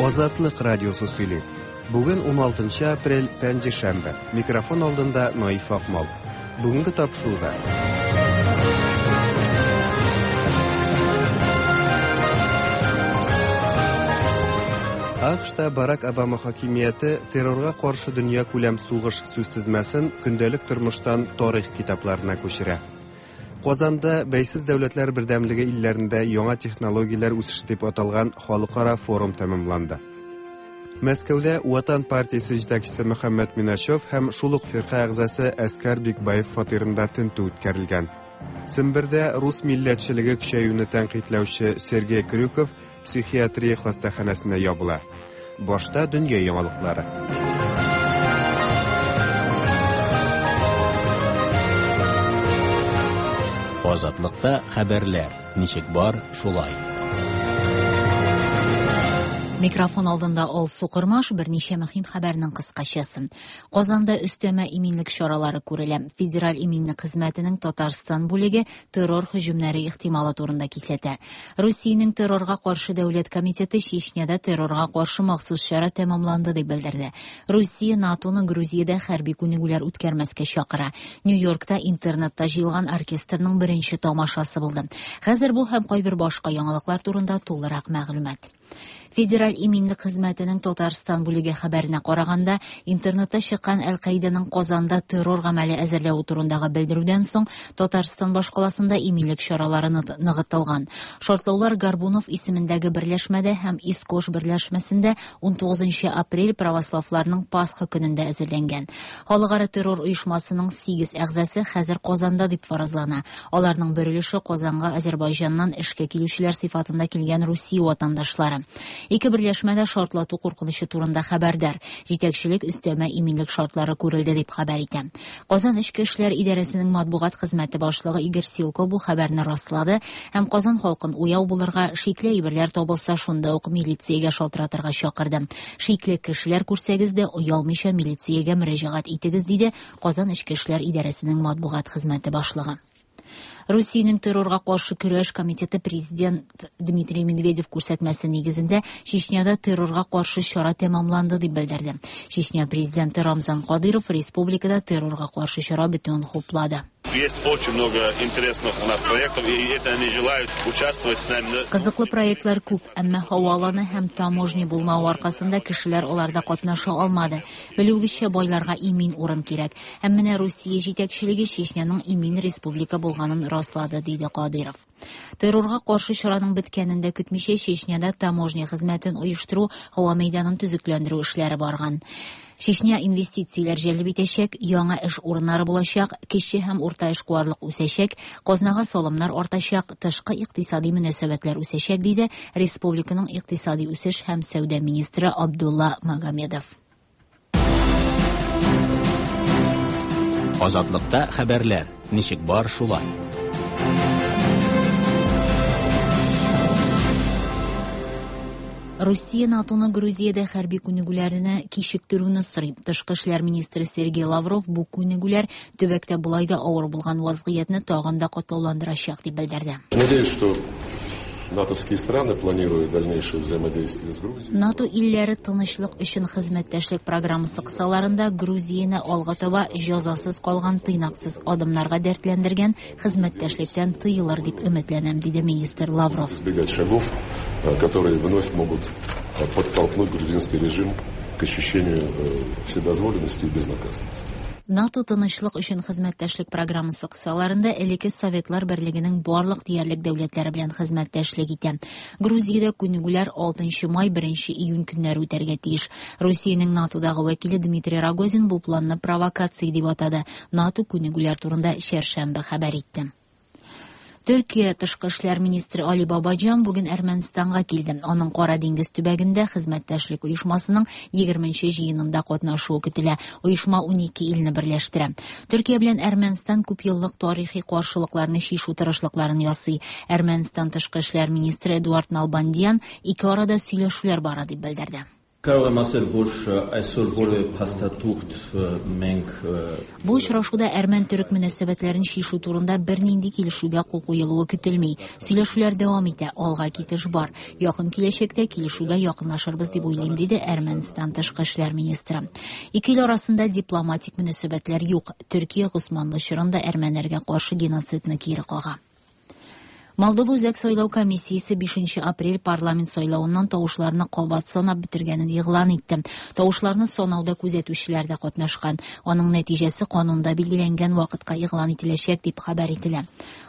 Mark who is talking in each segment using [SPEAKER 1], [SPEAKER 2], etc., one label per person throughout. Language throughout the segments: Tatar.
[SPEAKER 1] Азатлык радиосы сөйли. Бүген 16 апрель, пәнҗешәмбе. Микрофон алдында Наиф Акмал. Бүгенге тапшыруда. АКШта Барак Обама хакимияте террорга каршы дөньякүләм сугыш сүзтезмәсен көндәлек тормыштан тарих китапларына күчерә. Казанда Бәйсез дәүләтләр бердәмлеге илләрендә яңа технологияләр үсеше дип аталган халыкара форум тәмамланды. Мәскәүдә Ватан партиясе җитәкчесе Мөхәммәт Миначев һәм шул ук фирка әгъзасы Әскәр Бикбаев фатирында тентү үткәрелгән. Сембердә рус милләтчелеге көчәюне тәнкыйтьләүче Сергей Крюков психиатрия хастаханәсенә ябыла. Башта дөнья яңалыклары.
[SPEAKER 2] Азатлыкта хәбәрләр ничек бар, шулай.
[SPEAKER 3] Микрофон алдында Алсу Кормаш, берничә мөһим хәбәрнең кыскачасы. Казанда өстәмә иминлек чаралары күрелә. Федераль иминлек хезмәтенең Татарстан бүлеге террор һөҗүмнәре ихтималы турында кисәтә. Русиянең террорга каршы дәүләт комитеты Чечняда террорга каршы махсус чара тәмамланды дип белдерде. Русия НАТОны Грузиядә хәрби күнегүләр үткәрмәскә чакыра. Нью-Йоркта интернетта җыелган оркестрның беренче тамашасы булды. Хәзер бу һәм кайбер башка яңалыклар турында тулырак мәгълүмат. Федераль иминлек хезмәтенең Татарстан бүлеге хәбәренә караганда, интернетта чыккан Әл-Каиданың Казанда террор гамәле әзерләве турындагы белдерүдән соң Татарстан башкаласында иминлек чаралары ныгытылган. Шартлаулар Горбунов исемендәге берләшмәдә һәм Искош берләшмәсендә 19 апрель православларның Пасха көнендә әзерләнгән. Халыкара террор оешмасының 8 әгъзасы хәзер Казанда дип фаразлана. Аларның бер өлеше Казанга Азербайҗаннан эшкә килүчеләр сыйфатында килгән Русия ватандашлары. Ике берләшмә дә шартлату куркынычы турында хәбәрдар. Җитәкчелек өстәмә иминлек шартлары күрелде дип хәбәр итә. Казан Эчке эшләр идарәсенең матбугат хезмәте башлыгы Игорь Силко бу хәбәрне раслады һәм Казан халкын уяу булырга, шикле әйберләр табылса, шунда ук милициягә шалтыратырга чакырды. Шикле кешеләр күрсәгез дә, оялмыйча милициягә мөрәҗәгать итегез, диде Казан Эчке эшләр идарәсенең матбугат хезмәте башлыгы. Русиянең террорга каршы көрәш комитеты президент Дмитрий Медведев күрсәтмәсе нигезендә Чечняда террорга каршы чара тәмамланды дип белдерде. Чечня президенты Рамзан Кадыров республикада террорга каршы чара бетүен хуплады.
[SPEAKER 4] Есть очень много интересных у нас проектов, и это они желают участвовать с нами.
[SPEAKER 3] Кызыклы проектлар күп, әмма һаваланы һәм таможня булмавы аркасында кешеләр аларда катнаша алмады. Белүегезчә, байларга имин урын кирәк. Һәм менә Русия җитәкчелеге Чечняның имин республика булганын раслады, диде Кадыров. Террорга каршы чараның беткәнен дә көтмичә Чечняда таможня хезмәтен оештыру, һава мәйданын төзекләндерү эшләре барган. Чечня инвестицияләр җәлеп итәчәк, яңа эш урыннары булачак, кече һәм урта эшкуарлык үсәчәк, казнага салымнар артачак, тышкы икътисади мөнәсәбәтләр үсәчәк, диде республиканың икътисади үсеш һәм сәүдә министры Абдулла Магомедов.
[SPEAKER 2] Азатлыкта хәбәрләр ничек бар, шулай.
[SPEAKER 3] Русия НАТОны Грузиядә хәрби күнегүләрне кичектерүне сорый. Тышкы эшләр министры Сергей Лавров бу күнегүләр төбәктә болай да авыр булган вазгыятьне тагын да катлауландырачак дип белдерде.
[SPEAKER 5] Надеюсь, что натовские страны планируют дальнейшее взаимодействие с Грузией.
[SPEAKER 3] НАТО илләре тынычлык өчен хезмәттәшлек программасы кысаларында Грузияне алга таба җәзасыз калган тыйнаксыз адымнарга дәртләндергән хезмәттәшлектән тыелыр дип өметләнәм, диде министр Лавров.
[SPEAKER 5] Избегать шагов, которые вновь могут подтолкнуть грузинский режим к ощущению вседозволенности и безнаказанности.
[SPEAKER 3] НАТО тынычлык өчен хезмәттәшлек программасы кысаларында элекке Советлар Берлегенең барлык диярлек дәүләтләре белән хезмәттәшлек итә. Грузиядә күнегүләр 6 май 1 июнь көннәре үтәргә тиеш. Русиянең НАТОдагы вәкиле Дмитрий Рогозин бу планны провокация дип атады. НАТО күнегүләр турында чәршәмбе хәбәр итте. Төркия тышкы эшләр министры Али Бабаҗан бүген Әрмәнстанга килде. Аның Кара диңгез төбәгендә хезмәттәшлек оешмасының 20нче җыенында катнашуы көтелә. Оешма 12 илне берләштерә. Төркия белән Әрмәнстан күп еллык тарихи каршылыкларны чишү тырышлыкларын ясый. Әрмәнстан тышкы эшләр министры Эдуард Налбандиян ике арада сөйләшүләр бара дип белдерде.
[SPEAKER 6] Կարող եմ ասել, որ այսօր որևէ փաստաթուղթ մենք
[SPEAKER 3] Бу очрашуда әрмән-төрек мөнәсәбәтләрен чишү турында бернинди килешүгә кул куелуы көтелми. Сөйләшүләр дәвам итә, алга китеш бар. Якын киләчәктә килешүгә якынлашырбыз дип уйлыйм, диде Әрмәнстан тышкы эшләр министры. Ике ил арасында дипломатик мөнәсәбәтләр юк. Төркия Госманлы чорында әрмәннәргә каршы геноцидны кире кага. Молдова Үзәк сайлау комиссиясе 5 апрель парламент сайлавыннан тавышларны кабат санап бетергәнен игълан итте. Тавышларны санауда күзәтүчеләр дә катнашкан. Аның нәтиҗәсе канунда билгеләнгән вакытка игълан ителәчәк дип хәбәр ителә.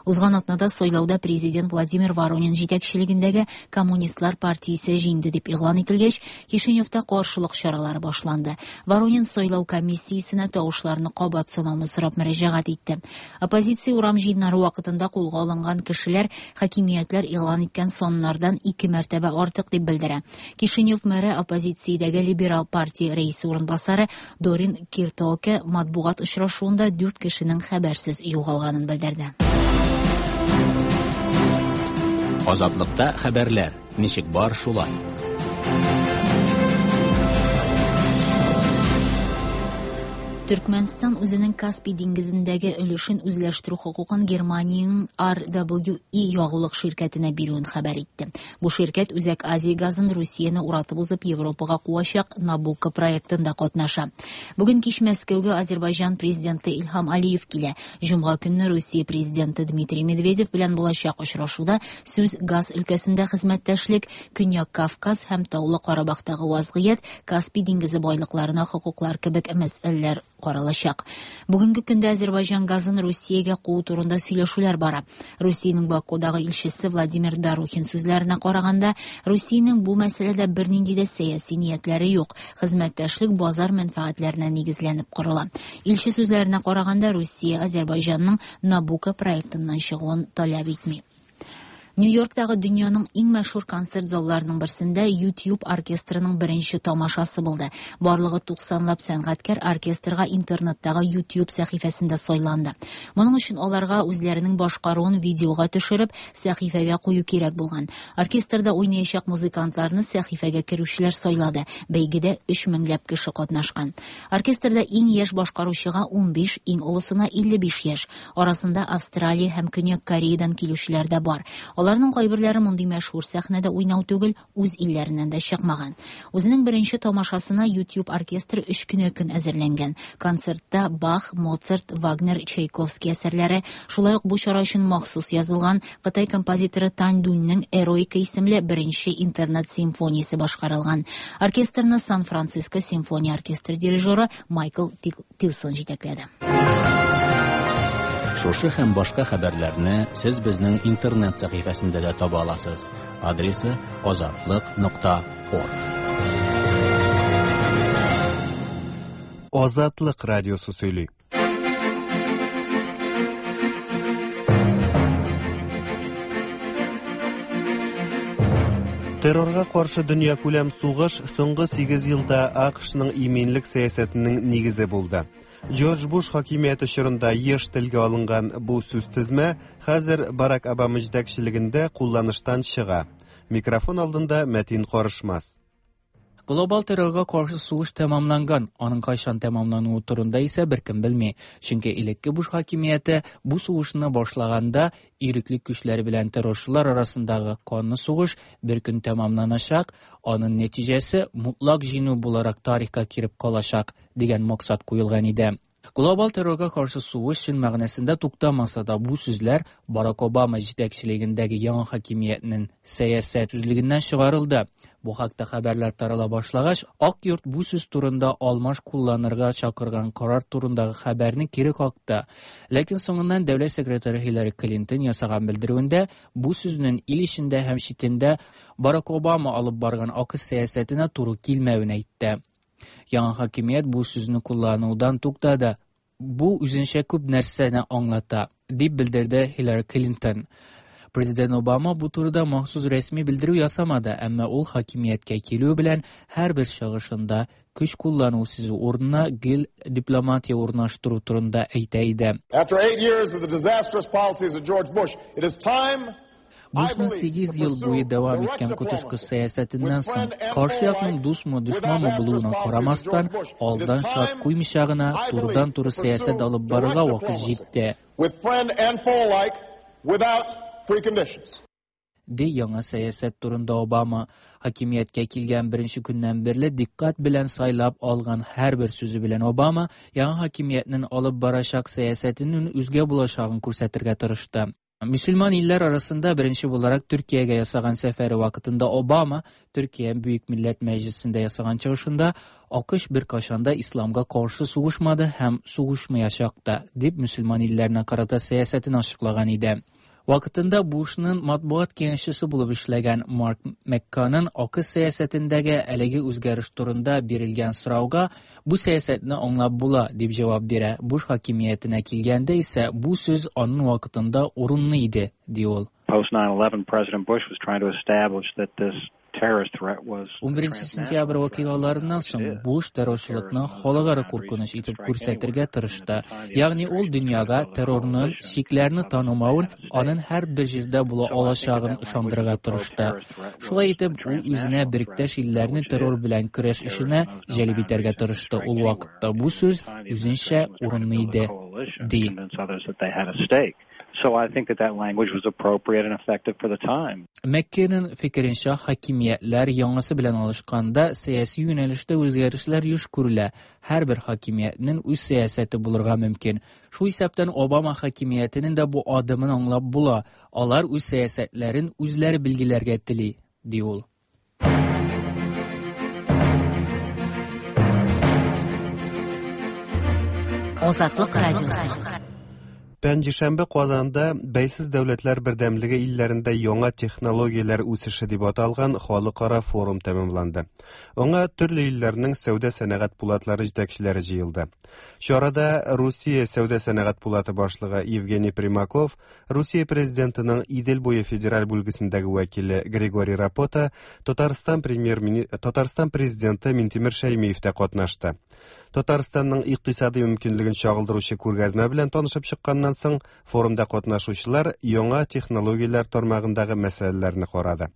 [SPEAKER 3] Узган атнада сайлауда президент Владимир Воронин җитәкчелегендәге Коммунистлар партиясе җиңде дип игълан ителгәч, Кишиневта каршылык чаралары башланды. Воронин сайлау комиссиясенә тавышларны кабат санауны сорап мөрәҗәгать итте. Оппозиция урам җыеннары вакытында кулга алынган кешеләр хакимиятләр игълан иткән саннардан 2 мәртәбә артык дип белдерә. Кишинев мэры оппозициядәге либерал партия рәисе урынбасары Дорин Киртоке матбугат очрашуында 4 кешенең хәбәрсез югалганын белдерде.
[SPEAKER 2] Азатлыкта хәбәрләр ничек бар шулай.
[SPEAKER 3] Төркмәнстан үзенең Каспий диңгезендәге өлешен үзләштерү хокукын Германиянең RWE ягулык ширкәтенә бирүен хәбәр итте. Бу ширкәт Үзәк Азия газын Русияне уратып узып Европага куачак Набукко проектында катнаша. Бүген кич Мәскәүгә Азербайҗан президенты Илһам Алиев килә. Җомга көнне Русия президенты Дмитрий Медведев белән булачак очрашуда сүз газ өлкәсендә хезмәттәшлек, Көньяк Кавказ һәм Таулы Карабахтагы вазгыять, Каспий диңгезе байлыкларына хокуклар кебек мәсьәләләр каралачак. Бүгенге көндә Азербайҗан газын Русиягә куу турында сөйләшүләр бара. Русиянең Бакудагы илчесе Владимир Дарухин сүзләренә караганда, Русиянең бу мәсьәләдә бернинди дә сәяси ниятләре юк. Хезмәттәшлек базар мәнфәгатьләренә нигезләнеп корыла. Илче сүзләренә караганда, Русия Азербайҗанның Набука проектыннан чыгуын таләп итми. Нью-Йорктагы дөньяның иң мәшһүр концерт залларының берсендә YouTube оркестрының беренче тамашасы булды. Барлыгы 90лап сәнгатькәр оркестрга интернеттагы YouTube сәхифәсендә сайланды. Моның өчен аларга үзләренең башкаруын видеога төшереп, сәхифәгә кую кирәк булган. Оркестрда уйнаячак музыкантларны сәхифәгә керүчеләр сайлады. Бәйгедә 3 меңләп кеше катнашкан. Оркестрда иң яшь башкаручыга 15, иң олысына 55 яшь. Арасында Австралия һәм Көньяк Кореядан килүчеләр дә бар. Аларның кайберләре мондый мәшһүр сәхнәдә уйнау түгел, үз илләреннән дә чыкмаган. Үзенең беренче тамашасына YouTube оркестры 3 көнә көн әзерләнгән. Концертта Бах, Моцарт, Вагнер, Чайковский әсәрләре, шулай ук бу чара өчен махсус язылган Кытай композиторы Тань Дуньның Эроика исемле беренче интернет симфониясе башкарылган. Оркестрны Сан-Франциско симфония оркестры дирижеры Майкл Тилсон җитәкләде.
[SPEAKER 2] Шушы һәм башка хәбәрләрне сез безнең интернет сәхифәсендә дә таба аласыз. Адресы azatliq.org.
[SPEAKER 1] Азатлык радиосы сөйли. Террорга каршы дөньякүләм сугыш соңгы 8 елда АКШның иминлек сәясәтенең нигезе булды. Джордж Буш хакимияте чорында еш телгә алынган бу сүз тезмә хәзер Барак Обама җитәкчелегендә кулланыштан чыга. Микрофон алдында Мәтин Карышмас.
[SPEAKER 7] Глобал террорга каршы сугыш тәмамланган. Аның кайчан тәмамлануы турында исә беркем белми. Чөнки элекке Буш хакимияте бу сугышны башлаганда ирекле көчләр белән террорчылар арасындагы канлы сугыш бер көн тәмамланачак, аның нәтиҗәсе мутлак җиңү буларак тарихка кирип калачак дигән максат куелган иде. Глобал террорга каршы сугыш чын мәгънәсендә туктамаса да, бу сүзләр Барак Обама җитәкчелегендәге яңа хакимиятнең сәясәт сүзлегеннән чыгарылды. Бу хакта хәбәрләр тарала башлагач, Ак йорт бу сүз турында алмаш кулланырга чакырган карар турындагы хәбәрне кире какты. Ләкин соңыннан дәүләт секретаре Хиллари Клинтон ясаган белдерүендә бу сүзнең ил эчендә һәм читендә Барак Обама алып барган АКШ сәясәтенә туры килмәвен әйтте. Яңа хакимият бу сүзне кулланудан туктады. Бу үзенчә күп нәрсәне аңлата, дип белдерде Хиллари Клинтон. Президент Обама бу турыда махсус рәсми белдерү ясамады, әмма ул хакимияткә килү белән һәрбер чыгышында көч куллану сүзе урынына гел дипломатия урнаштыру турында әйтә иде.
[SPEAKER 8] After 8 years of the disastrous policies of George Bush, it is time.
[SPEAKER 7] Бушның 8 ел буе дәвам иткән коточкыч сәясәтеннән соң, каршы якның дусмы, дошманмы булуына карамастан, алдан шарт куймыйча гына турыдан-туры сәясәт алып барырга вакыт җитте. Ди яңа сәясәт турында Обама. Хакимияткә килгән беренче көннән бирле дикъкать белән сайлап алган һәрбер сүзе белән Обама яңа хакимиятнең алып барачак сәясәтенең үзгә булачагын күрсәтергә тырышты. Мөселман илләр арасында беренче буларак Төркиягә ясаган сәфәре вакытында Обама Төркия Бөек Милләт Мәҗлесендә ясаган чыгышында АКШ беркайчан да исламга каршы сугышмады һәм сугышмаячак та, дип мөселман илләренә карата сәясәтен ачыклаган иде. Вакытында Бушның матбугат киңәшчесе булып эшләгән Марк Мекканын АКШ сәясәтендәге әлеге үзгәреш турында бирелгән сорауга бу сәясәтне аңлап була, дип җавап бирә. Буш хакимиятенә килгәндә исә бу сүз аның вакытында урынлы иде, ди ул.
[SPEAKER 8] Post 9/11, President Bush was trying to establish that this terrorist threat was
[SPEAKER 7] 11 сентябрь вакыйгаларыннан соң Буш террорчылыкны халыкара куркыныч итеп күрсәтергә тырышты. Ягъни ул дөньяга террорның чикләрне танымавын, аның һәрбер җирдә була алачагын ышандырырга тырышты. Шулай итеп, ул үзенә беректәш илләрне террор белән көрәш эшенә җәлеп итәргә тырышты. Ул вакытта бу сүз үзенчә урынлы иде, ди.
[SPEAKER 8] So I think that that language was appropriate and effective for the time.
[SPEAKER 7] Маккейның фикеренчә, хакимиятләр яңасы белән алышканда сәяси юнәлештә үзгәрешләр еш күрелә. Һәрбер хакимиятнең үз сәясәте булырга мөмкин. Шул исәптән Обама хакимиятенең дә бу адымын аңлап була. Алар үз сәясәтләрен үзләре билгеләргә тели, ди ул.
[SPEAKER 3] Азатлык радиосы.
[SPEAKER 1] Пәнҗешәмбе Казанда Бәйсез дәүләтләр бердәмлеге илләрендә яңа технологияләр үсеше дип аталган халыкара форум тәмамланды. Аңа төрле илләрнең сәүдә-сәнәгать пулатлары җитәкчеләре җыелды. Чарада Русия сәүдә-сәнәгать пулаты башлыгы Евгений Примаков, Русия президентының Идел буе федераль бүлгесендәге вәкиле Григорий Рапота, Татарстан премьер Татарстан президенты Минтимер Шәймиев тә катнашты. Татарстанның икътисади мөмкинлеген чагылдыручы күргәзмә белән танышып чыкканнан соң, форумда катнашучылар яңа технологияләр тармагындагы мәсьәләләрне карады.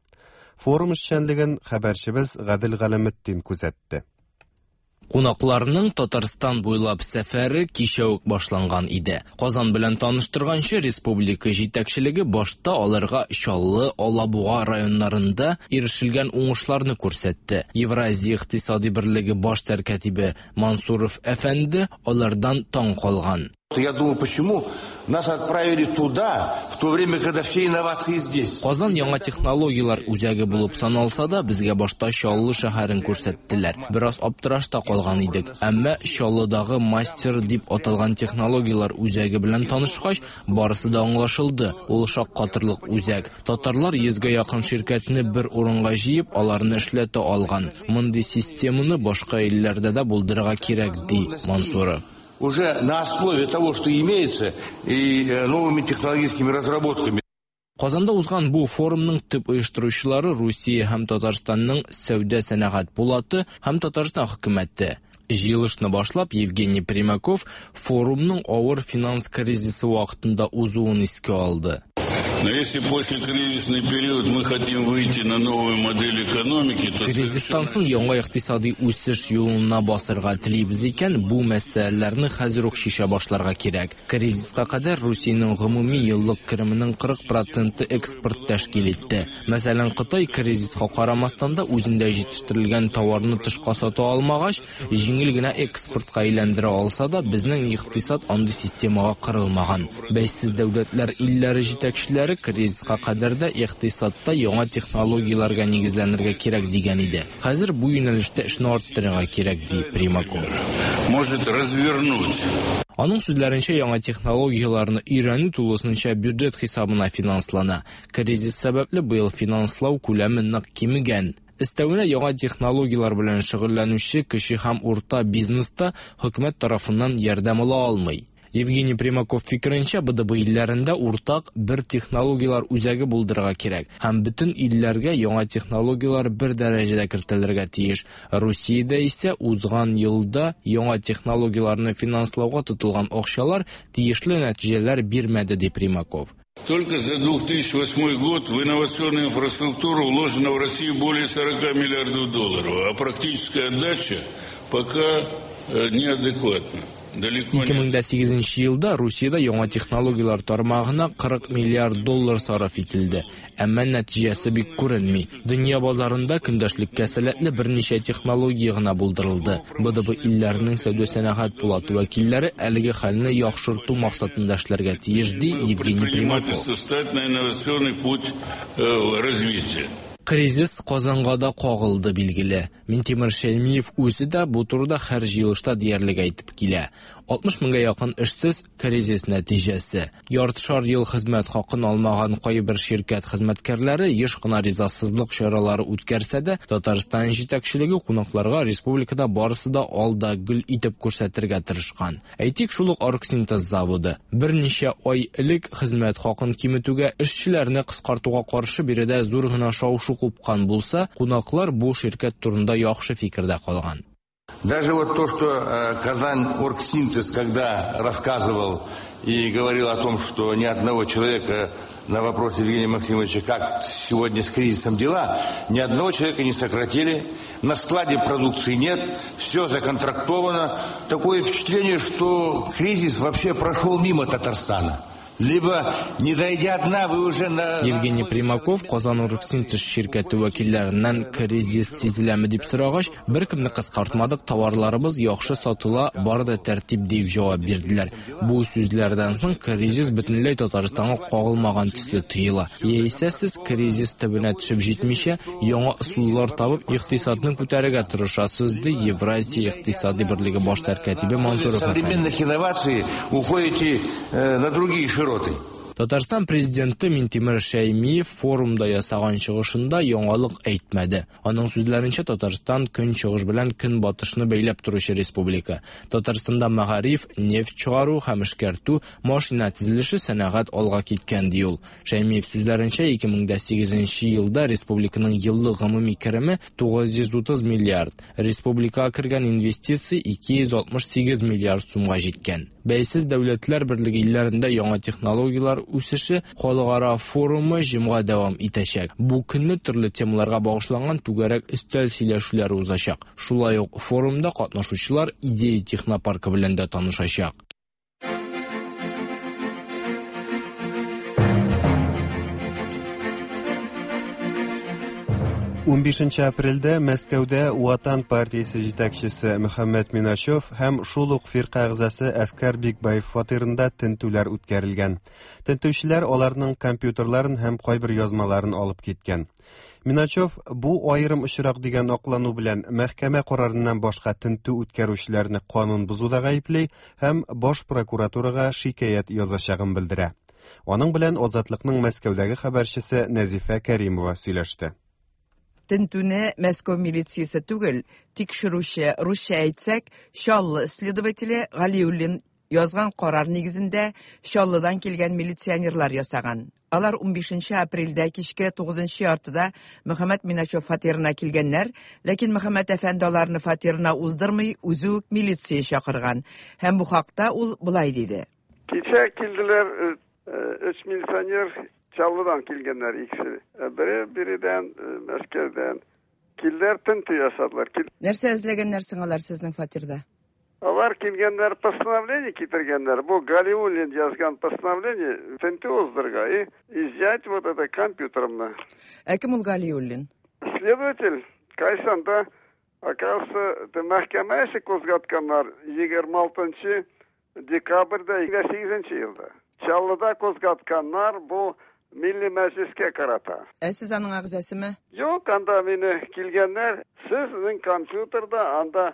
[SPEAKER 1] Форум эшчәнлеген хәбәрчебез Гадел Галәметдин күзәтте.
[SPEAKER 9] Кунакларның Татарстан буйлап сәфәре кичә үк башланган иде. Казан белән таныштырганчы республика җитәкчелеге башта аларга Чаллы, Алабуга районнарында ирешелгән уңышларны күрсәтте. Евразия икътисади берлеге баш сәркатибе Мансуров әфәнде алардан таң калган.
[SPEAKER 10] Я думаю, почему нас отправили туда, в то время, когда все инновации здесь.
[SPEAKER 9] Казан яңа технологияләр үзәге булып саналса да, безгә башта Чаллы шәһәрен күрсәттеләр. Бераз аптырашта калган идек. Әмма Чаллыдагы Мастер дип аталган технологияләр үзәге белән танышкач, барысы да аңлашылды. Ул шаккатырлык үзәк. Татарлар 100гә якын ширкәтне бер урынга җыеп, аларны эшләтә алган. Мондый системаны башка илләрдә дә булдырырга кирәк, ди Мансуров.
[SPEAKER 10] Уже на основе того, что имеется, и новыми технологическими разработками.
[SPEAKER 9] Казанда узган бу форумның төп оештыручылары Русия һәм Татарстанның сәүдә сәнәгать пулаты һәм Татарстан хөкүмәте. Җыелышны башлап Евгений Примаков форумның авыр финанс кризисы вакытында узуын искә алды.
[SPEAKER 4] Но если после кризисный период мы хотим выйти на новую модель экономики, то
[SPEAKER 9] Кризистан соң яңа икътисади үсеш юлына басырга телибез икән, бу мәсьәләләрне хәзер үк чишә башларга кирәк. Кризиска кадәр Русиянең гомуми еллык кеременең 40% экспорт тәшкил итте. Мәсәлән, Кытай кризиска карамастан да үзендә җитештерелгән товарны тышка сата алмагач, җиңел генә экспортка әйләндерә алса да, безнең икътисад андый системага корылмаган. Бәйсез дәүләтләр илләре җитәкчеләре кризиска кадәр дә икътисадта яңа технологияләргә нигезләнергә кирәк дигән иде. Хәзер бу юнәлештә эшне арттырырга кирәк, ди Примаков.
[SPEAKER 4] Может развернуть.
[SPEAKER 9] Аның сүзләренчә, яңа технологияләрне өйрәнү тулысынча бюджет хисабына финанслана. Кризис сәбәпле быел финанслау күләме нык кимегән. Өстәвенә яңа технологияләр белән шөгыльләнүче кече һәм урта бизнеста хөкүмәт тарафыннан ярдәм ала алмый. Евгений Примаков фикеренчә, БДБ илләрендә уртак бер технологияләр үзәге булдырырга кирәк һәм бөтен илләргә яңа технологияләр бер дәрәҗәдә кертелергә тиеш. Русиядә исә узган елда яңа технологияләрне финанслауга тотылган акчалар тиешле нәтиҗәләр бирмәде, ди Примаков.
[SPEAKER 4] Только за 2008 год в инновационную инфраструктуру вложено в Россию более 40 миллиардов долларов, а практическая отдача пока неадекватна. Далеко не
[SPEAKER 9] 2008 елда Русиядә яңа технологияләр тармагына 40 миллиард доллар сарыф ителде. Әмма нәтиҗәсе бик күренми. Дөнья базарында көндәшлеккә сәләтле берничә технология гына булдырылды. БДБ илләренең сәүдә-сәнәгать палаты вәкилләре әлеге хәлне яхшырту максатында эшләргә тиеш, ди Евгений Примаков.
[SPEAKER 4] Предпринимательство стать на инновационный путь развития.
[SPEAKER 9] Кризис Казанга да кагылды, билгеле. Минтимер Шәймиев үзе дә бу турыда һәр җыелышта диярлек әйтеп килә. 60 меңгә якын эшсез кризис нәтиҗәсе. Яртышар ел хезмәт хакын алмаган кайбер ширкәт хезмәткәрләре еш кына ризасызлык чаралары үткәрсә дә, Татарстан җитәкчелеге кунакларга республикада барысы да ал да гөл итеп күрсәтергә тырышкан. Әйтик, шул ук Оргсинтез заводы. Берничә ай элек хезмәт хакын киметүгә, эшчеләрне кыскартуга каршы биредә зур гына шау-шу купкан булса, кунаклар бу ширкәт турында яхшы фикердә калган.
[SPEAKER 10] Даже вот то, что Казань Оргсинтез, когда рассказывал и говорил о том, что ни одного человека на вопрос Евгения Максимовича, как сегодня с кризисом дела, ни одного человека не сократили, на складе продукции нет, все законтрактовано. Такое впечатление, что кризис вообще прошел мимо Татарстана. Либо, не дойдя дна, вы уже на...
[SPEAKER 9] Евгений Примаков Казан Оргсинтез ширкәте вәкилләреннән кризис сизеләме дип сорагач, беркемне кыскартмадык, товарларыбыз яхшы сатыла, бар да тәртип дип җавап бирделәр. Бу сүзләрдән соң кризис бөтенләй Татарстанга кагылмаган төсле тоела. Яисә сез кризис төбенә төшеп җитмичә, яңа ысуллар табып, икътисадны күтәрергә тырышасыз, ди Евразия икътисади берлеге баш сәркатибе Мансуров әфәнде.
[SPEAKER 10] Современных инноваций уходите на другие широты.
[SPEAKER 9] Татарстан президенты Минтимер Шәймиев форумда ясаган чыгышында яңалык әйтмәде. Аның сүзләренчә, Татарстан көнчыгыш белән көнбатышны бәйләп торучы республика. Татарстанда мәгариф, нефть чыгару һәм эшкәртү, машина төзелеше, сәнәгать алга киткән, ди ул. Шәймиев сүзләренчә, 2008 елда республиканың еллык гомуми кереме 930 миллиард, республикага кергән инвестиция 268 миллиард сумга җиткән. Бәйсез дәүләтләр берлеге илләрендә яңа технологияләр үсеше халыкара форумы җомга дәвам итәчәк. Бу көнне төрле темаларга багышланган түгәрәк өстәл сөйләшүләре узачак. Шулай ук форумда катнашучылар Идея технопаркы белән дә танышачак.
[SPEAKER 1] Унбишенче апрельдә Мәскәүдә Ватан партиясе җитәкчесе Мөхәммәт Миначев һәм шул ук фирка әгъзасы Әскәр Бикбаев фатирында тентүләр үткәрелгән. Тентүчеләр аларның компьютерларын һәм кайбер язмаларын алып киткән. Миначев бу аерым очрак дигән аклану белән мәхкәмә карарыннан башка тентү үткәрүчеләрне канун бозуда гаепли һәм баш прокуратурага шикаять язачагын белдерә. Аның белән Азатлыкның Мәскәүдәге хәбәрчесе Нәзифә Кәримова сөйләште.
[SPEAKER 11] Тентүне Мәскәү милициясе түгел, тикшерүче, русча әйтсәк, Чаллы следователе Галиуллин язган карар нигезендә Чаллыдан килгән милиционерлар ясаган. Алар 15 апрельдә кичке 9 яртыда Мөхәммәт Миначев фатирына килгәннәр, ләкин Мөхәммәт әфәнде аларны фатирына уздырмый, үзе үк милиция чакырган. Һәм бу хакта ул болай диде.
[SPEAKER 12] Кичә килделәр өч милиционер, Чаллыдан килгәннәр икесе. Бере биредән, Мәскәүдән. Килделәр, тентү ясадылар.
[SPEAKER 11] Нәрсә эзләгәннәр соң алар сезнең фатирда?
[SPEAKER 12] Алар килгәннәр, постановление китергәннәр. Бу Галиуллин язган постановление тентү уздырырга и изъять вот это компьютерымны.
[SPEAKER 11] Ә кем ул Галиуллин?
[SPEAKER 12] Следователь кайсанда, оказывается, мәхкәмә эше кузгатканнар 26 декабрьдә 8 елда. Чаллыда кузгатканнар бу Милли Мәҗлескә карата.
[SPEAKER 11] Ә сез аның әгъзасымы?
[SPEAKER 12] Юк, анда мине килгәннәр. Сезнең компьютерда анда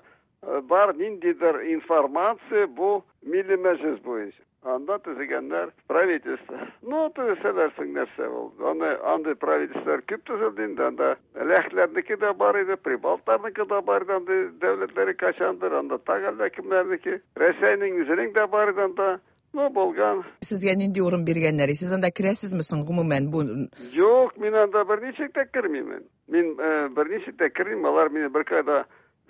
[SPEAKER 12] Бар ниндидер информация бу Милли Мәҗлес буенча. Анда төзегәннәр правительство. Ну, төзесәләр соң нәрсә ул? Аны андый правительстволар күп төзелде инде. Анда ләхләрнеке дә бар иде, прибалтларныкы да бар иде, андый дәүләтләре кайчандыр, анда тагы әллә кемнәрнеке. Рәсәйнең үзенең дә бар иде анда. Ну, булган.
[SPEAKER 11] Сезгә нинди урын биргәннәр? Сез анда керәсезме соң гомумән бу?
[SPEAKER 12] Юк, мин анда берничек тә кермимен. Мин берничек тә кермим, алар мине беркайда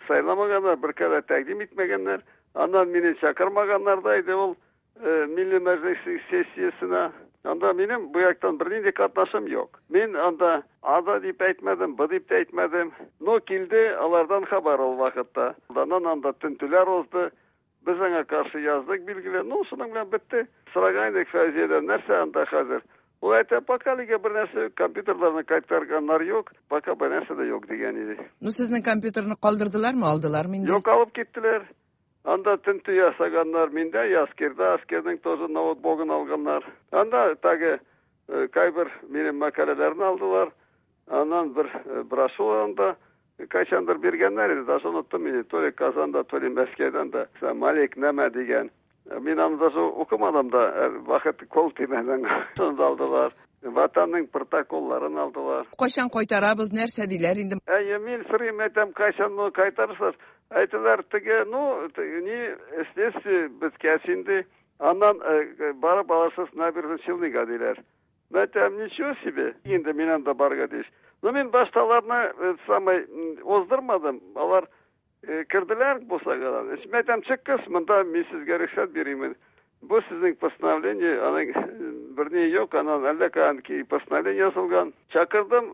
[SPEAKER 12] сайламаганнар, беркайда тәкъдим итмәгәннәр. Аннан мине чакырмаганнар да иде ул Милли Мәҗлес сессиясенә. Анда минем бу яктан бернинди катнашым юк. Мин анда А да дип әйтмәдем, Б дип тә әйтмәдем. Но килде алардан хәбәр ул вакытта. Аннан анда тентүләр узды. Без аңа каршы яздык, билгеле. Ну, шуның белән бетте. Сораган идек Фәүзиядән, нәрсә анда хәзер? Ул әйтә, пока әлегә бер нәрсә юк, компьютерларны кайтарганнар юк, пока бер нәрсә дә юк дигән иде.
[SPEAKER 11] Ну, сезнең компьютерны калдырдылармы, алдылармы инде?
[SPEAKER 12] Юк, алып киттеләр. Анда тентү ясаганнар, миндә Яскирда, Аскернең тоже ноутбугын алганнар. Анда тагы кайбер минем мәкаләләрне алдылар. Аннан бер брошюра анда кайчандыр биргәннәр иде, даже оныттым инде, то ли Казанда, то ли Мәскәүдән дә. Малик нәмә дигән. Мин аны даже укымадым да, вакыт кол тимәде. Шуны да алдылар. Ватанның протоколларын алдылар.
[SPEAKER 11] Кайчан кайтарабыз, нәрсә диләр инде?
[SPEAKER 12] Әйе, мин сорыйм, әйтәм, кайчан моны кайтарырсыз? Әйтәләр, теге, ну, ни, следствие беткәч инде, аннан барып алырсыз Набережный Челныга диләр. Әйтәм, ничего себе, инде мин анда барырга тиеш. Но мин башта аларны самый уздырмадым, алар керделәр бусагадан. Мин әйтәм, чыккыз, монда мин сезгә рөхсәт бирәмен. Бу сезнең постановление, аның берни юк, аннан әллә каян постановление язылган. Чакырдым,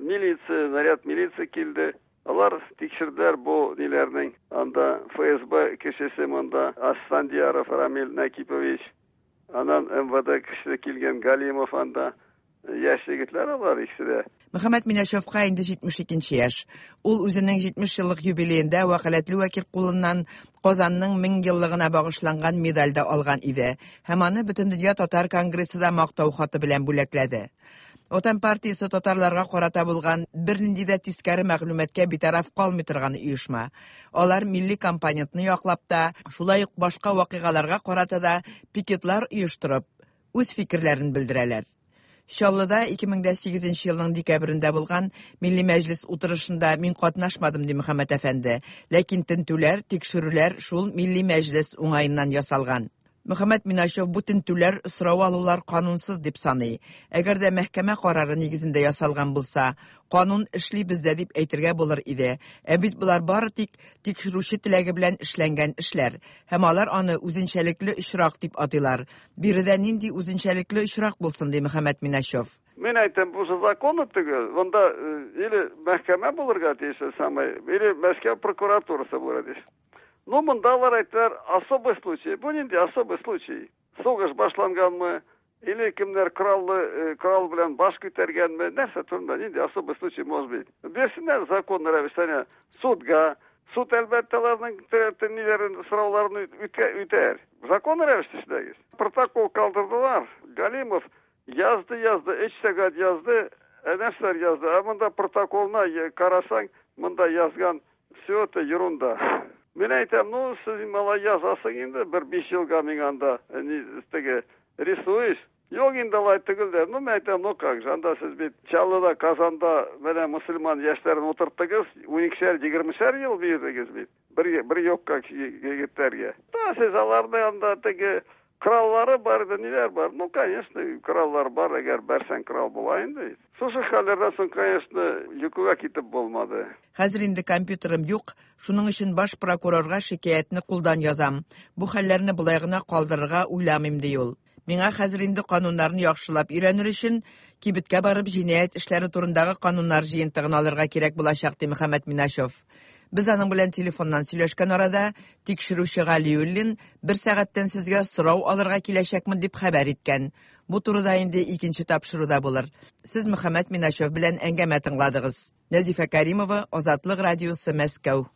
[SPEAKER 12] милиция, наряд милиция килде. Алар тикшерделәр бу ниләрнең. Анда ФСБ кешесе монда, Асфандияров Рамил Накипович. Аннан МВД кешесе килгән Галимов анда. Яшь егетләр алар икесе дә.
[SPEAKER 11] Мөхәммәт Минәшевка инде 72 яшь. Ул үзенең 70 еллык юбилеенда вәкаләтле вәкил кулыннан Казанның 1000 еллыгына багышланган медаль дә алган иде һәм аны Бөтендөнья татар конгрессы да мактау хаты белән бүләкләде. Ватан партиясе татарларга карата булган бернинди дә тискәре мәгълүматка битараф калмый торган оешма. Алар милли компонентны яклап та, шулай ук башка вакыйгаларга карата да пикетлар оештырып, үз фикерләрен белдерәләр. Чаллыда 2008 елның декабрендә булган Милли Мәҗлес утырышында мин катнашмадым, ди Мөхәммәт әфәнде. Ләкин тентүләр, тикшерүләр шул Милли Мәҗлес уңаеннан ясалган. Мөхәммәт Миначев бу тентүләр, сорау алулар канунсыз дип саный. Әгәр дә мәхкәмә карары нигезендә ясалган булса, канун эшли бездә дип әйтергә булыр иде. Ә бит болар бары тик тикшерүче теләге белән эшләнгән эшләр. Һәм алар аны үзенчәлекле очрак дип атыйлар. Биредә нинди үзенчәлекле очрак булсын, ди Мөхәммәт Миначев.
[SPEAKER 12] Мин әйтәм, бу законы түгел. Монда или мәхкәмә булырга тиеш, самый, или Мәскәү прокуратурасы булырга тиеш. Ну, монда алар әйттеләр, особый случай. Бу нинди особый случай? Сугыш башланганмы? Или кемнәр кораллы, корал белән баш күтәргәнме? Нәрсә турында нинди особый случай может быть? Бирсеннәр законный рәвештә судга. Суд әлбәттә аларның ниләрен, сорауларын үтәр. Законный рәвештә эшләгез. Протокол калдырдылар. Галимов язды, язды, 3 сәгать язды, нәрсәләр язды. Ә монда протоколына карасаң, монда язган все это ерунда. Мин әйтәм, ну, сез малай язасың инде, бер 5 елга мин анда, теге, рисуешь. Юк инде алай түгел дә. Ну, мин әйтәм, ну как же, анда сез бит Чаллыда, Казанда менә мөселман яшьләрен утырттыгыз, 12-шәр, 20-шәр ел бирдегез бит. Бер юкка егетләргә. Да, сез аларны анда теге кораллары бар иде, ниләр бар? Ну, конечно, кораллар бар, әгәр бәрсәң корал була инде. Шушы хәлләрдән соң, конечно, йокыга китеп булмады.
[SPEAKER 11] Хәзер инде компьютерым юк, шуның өчен баш прокурорга шикаятьне кулдан язам. Бу хәлләрне болай гына калдырырга уйламыйм, ди ул. Миңа хәзер инде кануннарны яхшылап өйрәнер өчен кибеткә барып җинаять эшләре турындагы кануннар җыентыгын алырга кирәк булачак, ди Мөхәммәт Миначев. Без аның белән телефоннан сөйләшкән арада тикшерүче Галиуллин бер сәгатьтән сезгә сорау алырга киләчәкмен дип хәбәр иткән. Бу турыда инде икенче тапшыруда булыр. Сез Мөхәммәт Миначев белән әңгәмә тыңладыгыз. Нәзифә Каримова, Азатлык радиосы, Мәскәү.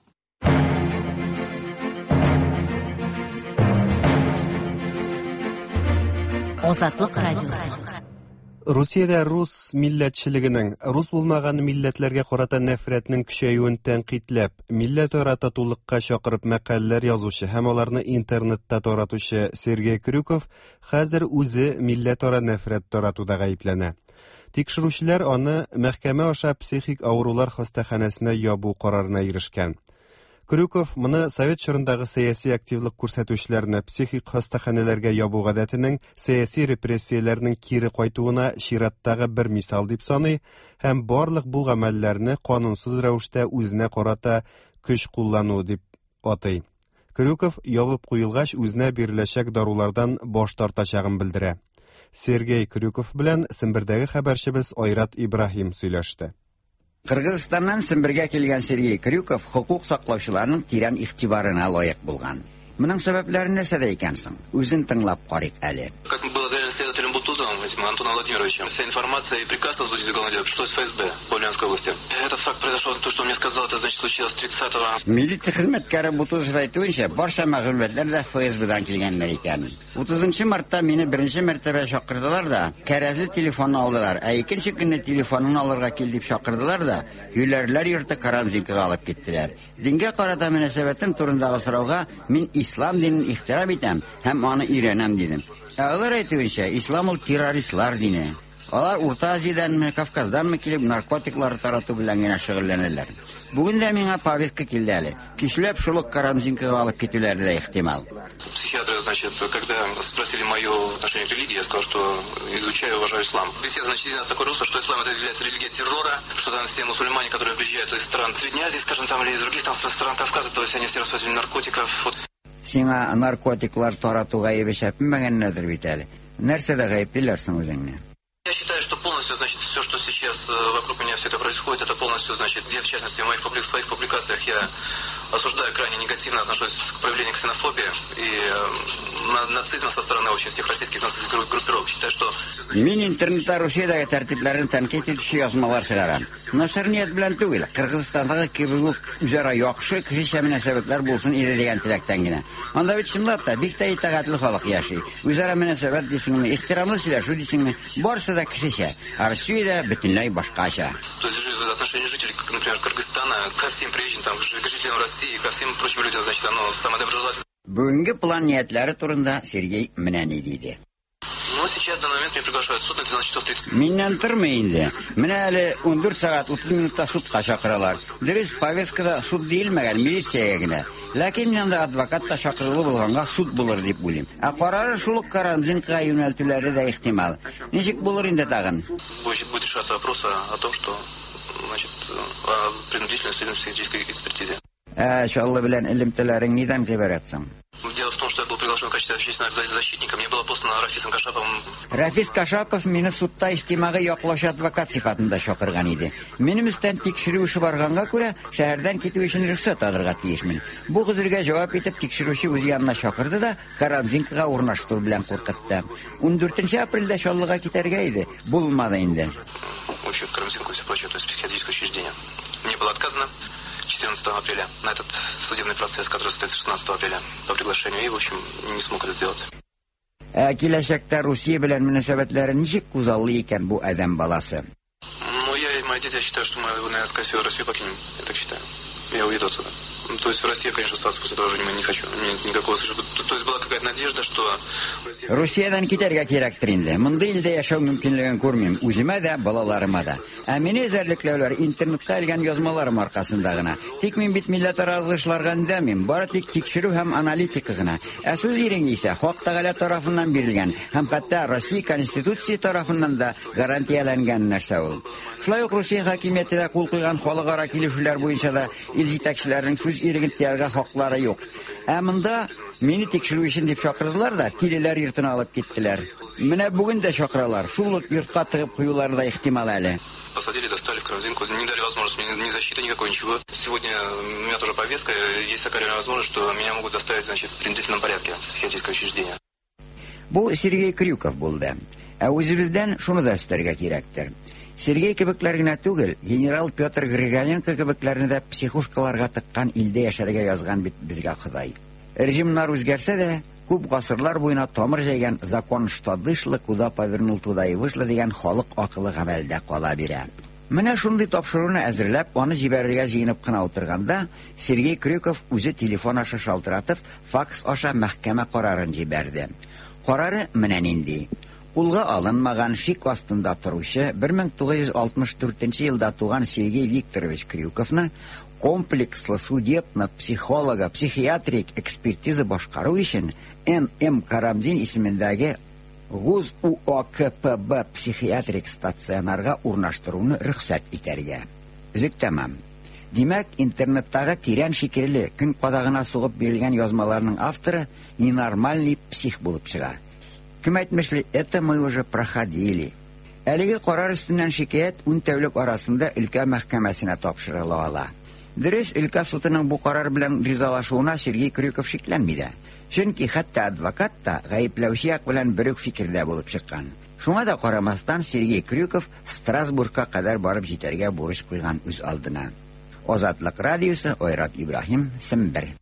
[SPEAKER 3] Азатлык радиосы.
[SPEAKER 1] Русиядә рус милләтчелегенең, рус булмаган милләтләргә карата нәфрәтнең көчәюен тәнкыйтьләп, милләтара татулыкка чакырып мәкаләләр язучы һәм аларны интернетта таратучы Сергей Крюков хәзер үзе милләтара нәфрәт таратуда гаепләнә. Тикшерүчеләр аны мәхкәмә аша психик авырулар хастаханәсенә ябу карарына ирешкән. Крюков моны совет чорындагы сәяси активлык күрсәтүчеләрне психик хастаханәләргә ябу гадәтенең сәяси репрессияләрнең кире кайтуына чираттагы бер мисал дип саный һәм барлык бу гамәлләрне канунсыз рәвештә үзенә карата көч куллану дип атый. Крюков ябып куелгач үзенә биреләчәк дарулардан баш тартачагын белдерә. Сергей Крюков белән Сембердәге хәбәрчебез Айрат Ибраһим сөйләште.
[SPEAKER 13] Кыргызстаннан Сембергә килгән Сергей Крюков хокук саклаучыларның тирән игътибарына лаек булган. Моның сәбәпләре нәрсәдә икән соң? Үзен тыңлап карыйк әле.
[SPEAKER 14] Как было заявлено следователем Бутузовым, этим Антоном Владимировичем, вся информация и приказ возбудить уголовное дело пришлось в ФСБ по Ульяновской области. Этот факт произошел, то, что он мне сказал, это значит случилось 30-го.
[SPEAKER 13] Милиция хезмәткәре Бутузов әйтүенчә, барча мәгълүматлар да ФСБдан килгәннәр икән. 30 мартта мине беренче мәртәбә чакырдылар да, кәрәзле телефонны алдылар. Ә икенче көнне телефонын алырга кил дип чакырдылар да, юләрләр йорты Карамзинкага алып киттеләр. Дингә карата мөнәсәбәтем турындагы сорауга мин ислам динен ихтирам итәм һәм аны өйрәнәм дидем. Ә алар әйтүенчә, ислам ул террористлар дине. Алар Урта Азиядәнме, Кавказданмы килеп наркотиклар тарату белән генә шөгыльләнәләр. Бүген дә миңа повестка килде әле. Кичләп шул ук Карамзинкага алып китүләре дә ихтимал.
[SPEAKER 14] Психиатры, значит, когда спросили мое отношение к религии, я сказал, что изучаю и уважаю ислам. Беседа, значит, у нас такой русло, что ислам это является религия террора, что там все мусульмане, которые приезжают из стран Средней Азии, скажем, там, или из других там стран Кавказа, то есть они все распространители наркотиков. Вот.
[SPEAKER 13] Сиңа наркотиклар тарату гаебе чәпмәгәннәрдер бит әле. Нәрсәдә гаеплиләр соң үзеңне?
[SPEAKER 14] Я считаю, что полностью, значит, все, что сейчас вокруг меня все это происходит, это полностью, значит, где, в частности, в моих своих публикациях я осуждаю, крайне негативно отношусь к проявлению ксенофобии и нацизма со стороны вообще всех российских нацистских группировок. Считаю, что...
[SPEAKER 13] Мин интернетта Русиядәге тәртипләрен тәнкыйть итүче язмалар чыгарам. Начар ният белән түгел, Кыргызстандагы кебек үк үзара яхшы кешечә мөнәсәбәтләр булсын иде дигән теләктән генә. Анда бит чынлап та бик тә итагатьле халык яши. Үзара мөнәсәбәт дисеңме, ихтирамлы сөйләшү дисеңме, барысы да кешечә. Ә Россиядә бөтенләй башкача.
[SPEAKER 14] То есть отношение жителей, например, Кыргызстана ко всем приезжим, там, к жителям России, ко всем прочим людям, значит, оно самое доброжелательное.
[SPEAKER 13] Бүгенге план ниятләре турында Сергей менә ни диде.
[SPEAKER 14] Но сейчас, в данный момент, меня приглашают в суд на 12 часов 30.
[SPEAKER 13] Миннән тормый инде. Менә әле 14 сәгать 30 минутта судка чакыралар. Дөрес, повесткада суд диелмәгән, милициягә генә. Ләкин мин анда адвокат та чакырулы булганга суд булыр дип уйлыйм. Ә карары шул ук Карамзинкага юнәлтүләре дә ихтимал. Ничек булыр инде тагын?
[SPEAKER 14] Будет решаться вопрос о том, что, значит, о принудительной судебно-психиатрической экспертизе.
[SPEAKER 13] Ә Чаллы белән элемтәләрең нидән гыйбарәт соң?
[SPEAKER 14] Дело в том, что я был приглашен в качестве общественного защитника. Мне было послано Рафисом Кашаповым.
[SPEAKER 13] Рафис Кашапов мине судта иҗтимагый яклаучы адвокат сыйфатында чакырган иде. Минем өстән тикшерү эше барганга күрә, шәһәрдән китү өчен рөхсәт алырга тиешмен. Бу гозергә җавап итеп тикшерүче үз янына чакырды да, Карамзинкага урнаштыру белән куркытты. 14 апрельдә Чаллыга китәргә иде, булмады инде.
[SPEAKER 14] Вообще в Карамзинку и все прочее, то есть психиатрическое учреждение. Мне было отказано 14 апреля на этот судебный процесс, который состоится 16 апреля по приглашению, и, в общем, не смог это сделать.
[SPEAKER 13] Ә киләчәктә Русия белән мөнәсәбәтләрен ничек күзаллый икән бу адәм баласы?
[SPEAKER 14] Ну, я и мои дети, я считаю, что мы, наверное, скорее всего, Россию покинем. Я так считаю. Я уеду отсюда. То есть в России, конечно, остаться после этого уже не хочу. Никакого. То есть была какая-то надежда, что...
[SPEAKER 13] Русиядән китәргә кирәктер инде. Мондый илдә яшәү мөмкинлеген күрмим. Үземә дә, балаларыма да. Ә мине эзәрлекләүләр интернетка элгән язмаларым аркасында гына. Тик мин бит милләтара ызгышларга өндәмим. Бары тик тикшерү һәм аналитика гына. Ә сүз иреге исә Хак Тәгалә тарафыннан бирелгән һәм хәтта Россия Конституция тарафыннан да гарантияләнгән нәрсә ул. Шулай ук Русия хакимияте дә кул куйган халыкара килешүләр буенча да ил җитәкчеләренең сүз иреген тыярга хаклары юк. Ә монда мине тикшерү өчен дип чакырдылар да, тилеләр йортына алып киттеләр. Менә бүген дә чакыралар. Шул ук йортка тыгып куюлары да ихтимал әле.
[SPEAKER 14] Посадили, достали в Карамзинку, не дали возможности мне ни защиты никакой, ничего. Сегодня у меня тоже повестка, есть такая реальная возможность, что меня могут доставить, значит, в принудительном порядке в психиатрическое учреждение.
[SPEAKER 13] Бу Сергей Крюков булды. Ә үзебездән шуны да өстәргә кирәктер. Сергей кебекләр генә түгел, генерал Петр Григоренко кебекләрне дә психушкаларга тыккан илдә яшәргә язган бит безгә Ходай. Режимнар үзгәрсә дә, Күп гасырлар буена тамыр җәйгән закон что дышло, куда повернул, туда и вышло дигән халык акылы гамәлдә кала бирә. Менә шундый тапшыруны әзерләп, аны җибәрергә җыенып кына утырганда, Сергей Крюков үзе телефон аша шалтыратып, факс аша мәхкәмә карарын җибәрде. Карары менә нинди. Кулга алынмаган, шик астында торучы 1964 елда туган Сергей Викторович Крюковны комплекслы судебно-психолого-психиатрик экспертиза башкару өчен Н.М. Карамзин исемендәге ГУЗ УОКПБ психиатрик стационарга урнаштыруны рөхсәт итәргә. Өзек тәмам. Димәк, интернеттагы тирән фикерле, көн кадагына сугып бирелгән язмаларның авторы ненормальный псих булып чыга. Кем әйтмешли, это мы уже проходили. Әлеге карар өстеннән шикаять ун тәүлек арасында өлкә мәхкәмәсенә тапшырыла ала. Дөрес, өлкә судының бу карар белән ризалашуына Сергей Крюков шикләнми дә. Чөнки хәтта адвокат та гаепләүче як белән бер үк фикердә булып чыккан. Шуңа да карамастан Сергей Крюков Страсбургка кадәр барып җитәргә бурыч куйган үз алдына. Азатлык радиосы, Айрат Ибраһим, Сембер.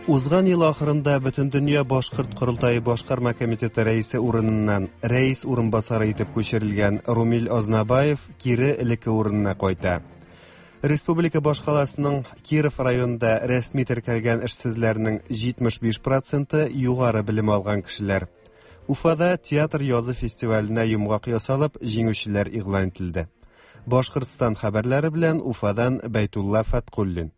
[SPEAKER 1] Узган ел ахырында Бөтендөнья башкорт корылтае башкарма комитеты рәисе урыныннан рәис урынбасары итеп күчерелгән Румил Азнабаев кире элекке урынына кайта. Республика башкаласының Киров районында рәсми теркәлгән эшсезләрнең 75 проценты югары белем алган кешеләр. Уфада театр язы фестиваленә йомгак ясалып, җиңүчеләр игълан ителде. Башкортстан хәбәрләре белән Уфадан Бәйтулла Фәткуллин.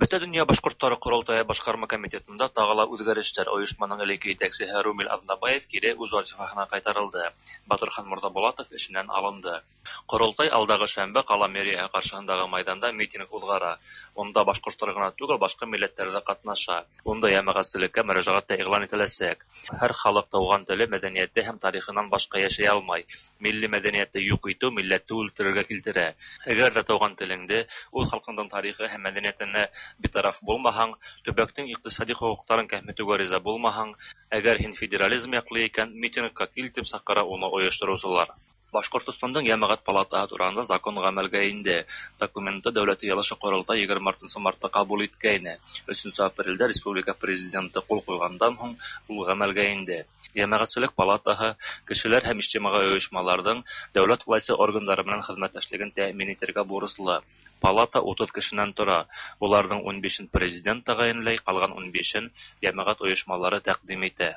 [SPEAKER 15] Бөтәдөнья башкортлары корылтае башкарма комитетында тагы ла үзгәрешләр. Оешманың элекке җитәкчеһе Румил Азнабаев кире үз вазифаһына кайтарылды. Батырхан Морзабулатов эшеннән алынды. Корылтай алдагы шәмбе кала мэрияһы каршыһындагы майданда митинг уҙғара. Унда башҡорттар ғына түгел, башҡа милләттәр ҙә ҡатнаша. Унда йәмәғәтселеккә мөрәжәғәт тә иғлан ителәсәк. Һәр халыҡ тыуған теле, мәҙәниәте һәм тарихынан башҡа йәшәй алмай. Милли мәҙәниәтте юҡ итеү милләтте үлтерергә килтерә. Әгәр ҙә тыуған телеңде, үҙ халҡыңдың тарихы һәм мәҙәниәтенә битараф булмаһаң, төбәктең иҡтисади хоҡуҡтарын кәметеүгә риза булмаһаң, әгәр һин федерализм яҡлы икән, митингка кил тип саҡыра уны ойоштороусылар. Башҡортостандың Йәмәғәт палатаһы тураһында закон ғәмәлгә инде. Документты Дәүләт Йыйылышы ҡоролтай 24 мартта ҡабул иткәйне. 3 апрелдә республика президенты ҡул ҡуйғандан һуң ул ғәмәлгә инде. Йәмәғәтселек палатаһы кешеләр һәм ижтимағи ойошмаларҙың дәүләт власы органдары менән хеҙмәттәшлеген тәьмин итергә бурыслы. Палата 30 кешенән тора. Уларҙың 15-ен президент тәғәйенләй, ҡалған 15-ен йәмәғәт ойошмалары тәҡдим итә.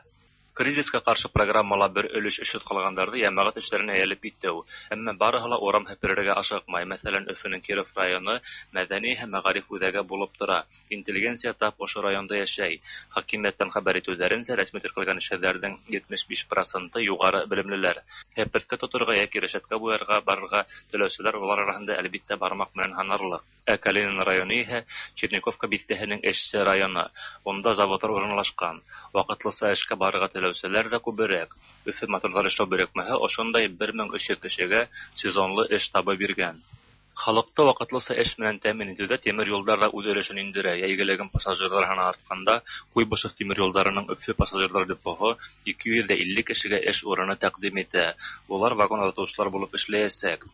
[SPEAKER 15] Кризиска ҡаршы программала бер өлөш эшһеҙ ҡалғандарҙы йәмәғәт эштәренә йәлеп итеү. Әммә барыһы ла урам һеперергә ашыҡмай. Мәҫәлән, Өфөнөң Киров районы мәҙәни һәм мәғариф үҙәге булып тора. Интеллигенция тап ошо районда йәшәй. Хакимиәттән хәбәр итеүҙәренсә, рәсми теркәлгән эшһеҙҙәрҙең 75% юғары белемлеләр. Һеперткә тоторға йәки рәшәткә буярға барырға теләүселәр улар араһында әлбиттә бармаҡ менән һанарлыҡ. Ә Калинин районы иһә Черниковка биҫтәһенең эшсе районы. Унда заводтар урынлашҡан. Ваҡытлыса эшкә барырға теләүселәр ҙә күберәк. Өфө моторҙар эшләү берекмәһе ошондай 1300 кешегә сезонлы эш табып биргән. Халыҡты ваҡытлыса эш менән тәьмин итеүҙә тимер юлдар ҙа үҙ өлөшөн индерә. Йәйгелеген пассажирҙар һаны артҡанда Куйбышев тимер юлдарының Өфө пассажирҙар депоһы 250 кешегә эш урыны тәҡдим итә. Улар вагон оҙатыусылар булып эшләйәсәк.